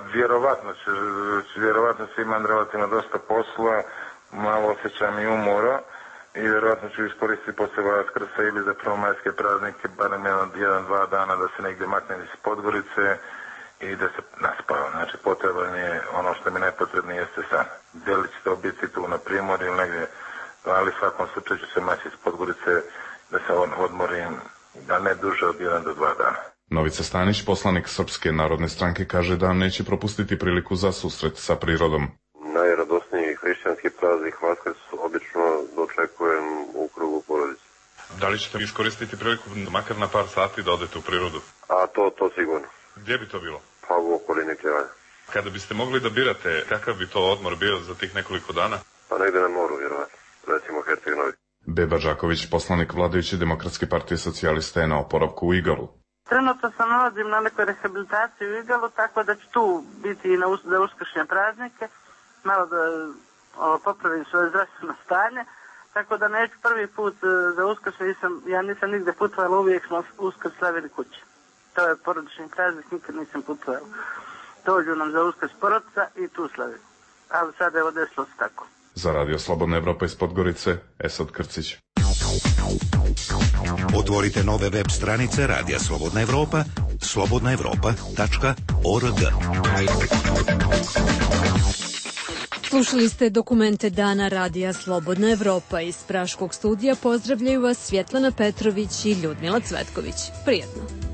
Speaker 28: vjerovatno će imam relativno dosta posla, malo osjećam i umora i vjerovatno ću iskoristiti poslije Vaskrsa ili za prvomajske praznike, barem 1-2 dana da se negdje maknem iz Podgorice i da se naspava. Znači potreban je ono što mi nepotrebno jeste san. Da li će to biti tu na Primorju ili negdje, ali u svakom slučaju ću se maći iz Podgorice da se odmorim, da ne duže od 1 do 2 dana.
Speaker 27: Novica Stanić, poslanik Srpske narodne stranke, kaže da neće propustiti priliku za susret sa prirodom.
Speaker 29: Najradosniji hrišćanski praznik Vaskrs obično dočekujem u krugu porodice.
Speaker 27: Da li ćete iskoristiti priliku makar na par sati da odete u prirodu?
Speaker 29: A to sigurno.
Speaker 27: Gdje bi to bilo?
Speaker 29: Pa u okolini Kljevanja.
Speaker 27: Kada biste mogli da birate, kakav bi to odmor bio za tih nekoliko dana?
Speaker 29: Pa negdje na moru, vjerovatno. Recimo Herceg Novi.
Speaker 27: Beba Žaković, poslanik vladajuće Demokratske partije socijalista, je na oporavku u Igalu.
Speaker 30: Trenutno se nalazim na nekoj rehabilitaciji u Igalu, tako da ću tu biti i za uskršnje praznike, malo da popravim svoje zdravstveno stanje, tako da neću prvi put za uskršnje, ja nisam nigde putovala, uvijek smo uskrs slavili kući. To je porodični praznik, nikad nisam putovala. dođu nam za Uskrs porodica i tu slavi. Ali sad evo desilo se tako.
Speaker 27: Za Radio Slobodna Evropa iz Podgorice, Esad Krcić.
Speaker 4: Otvorite nove web stranice Radija Slobodna Evropa, slobodnaevropa.org.
Speaker 1: Slušali ste dokumente Dana Radija Slobodna Evropa. Iz Praškog studija pozdravljaju vas Svjetlana Petrović i Ljudmila Cvetković. Prijetno.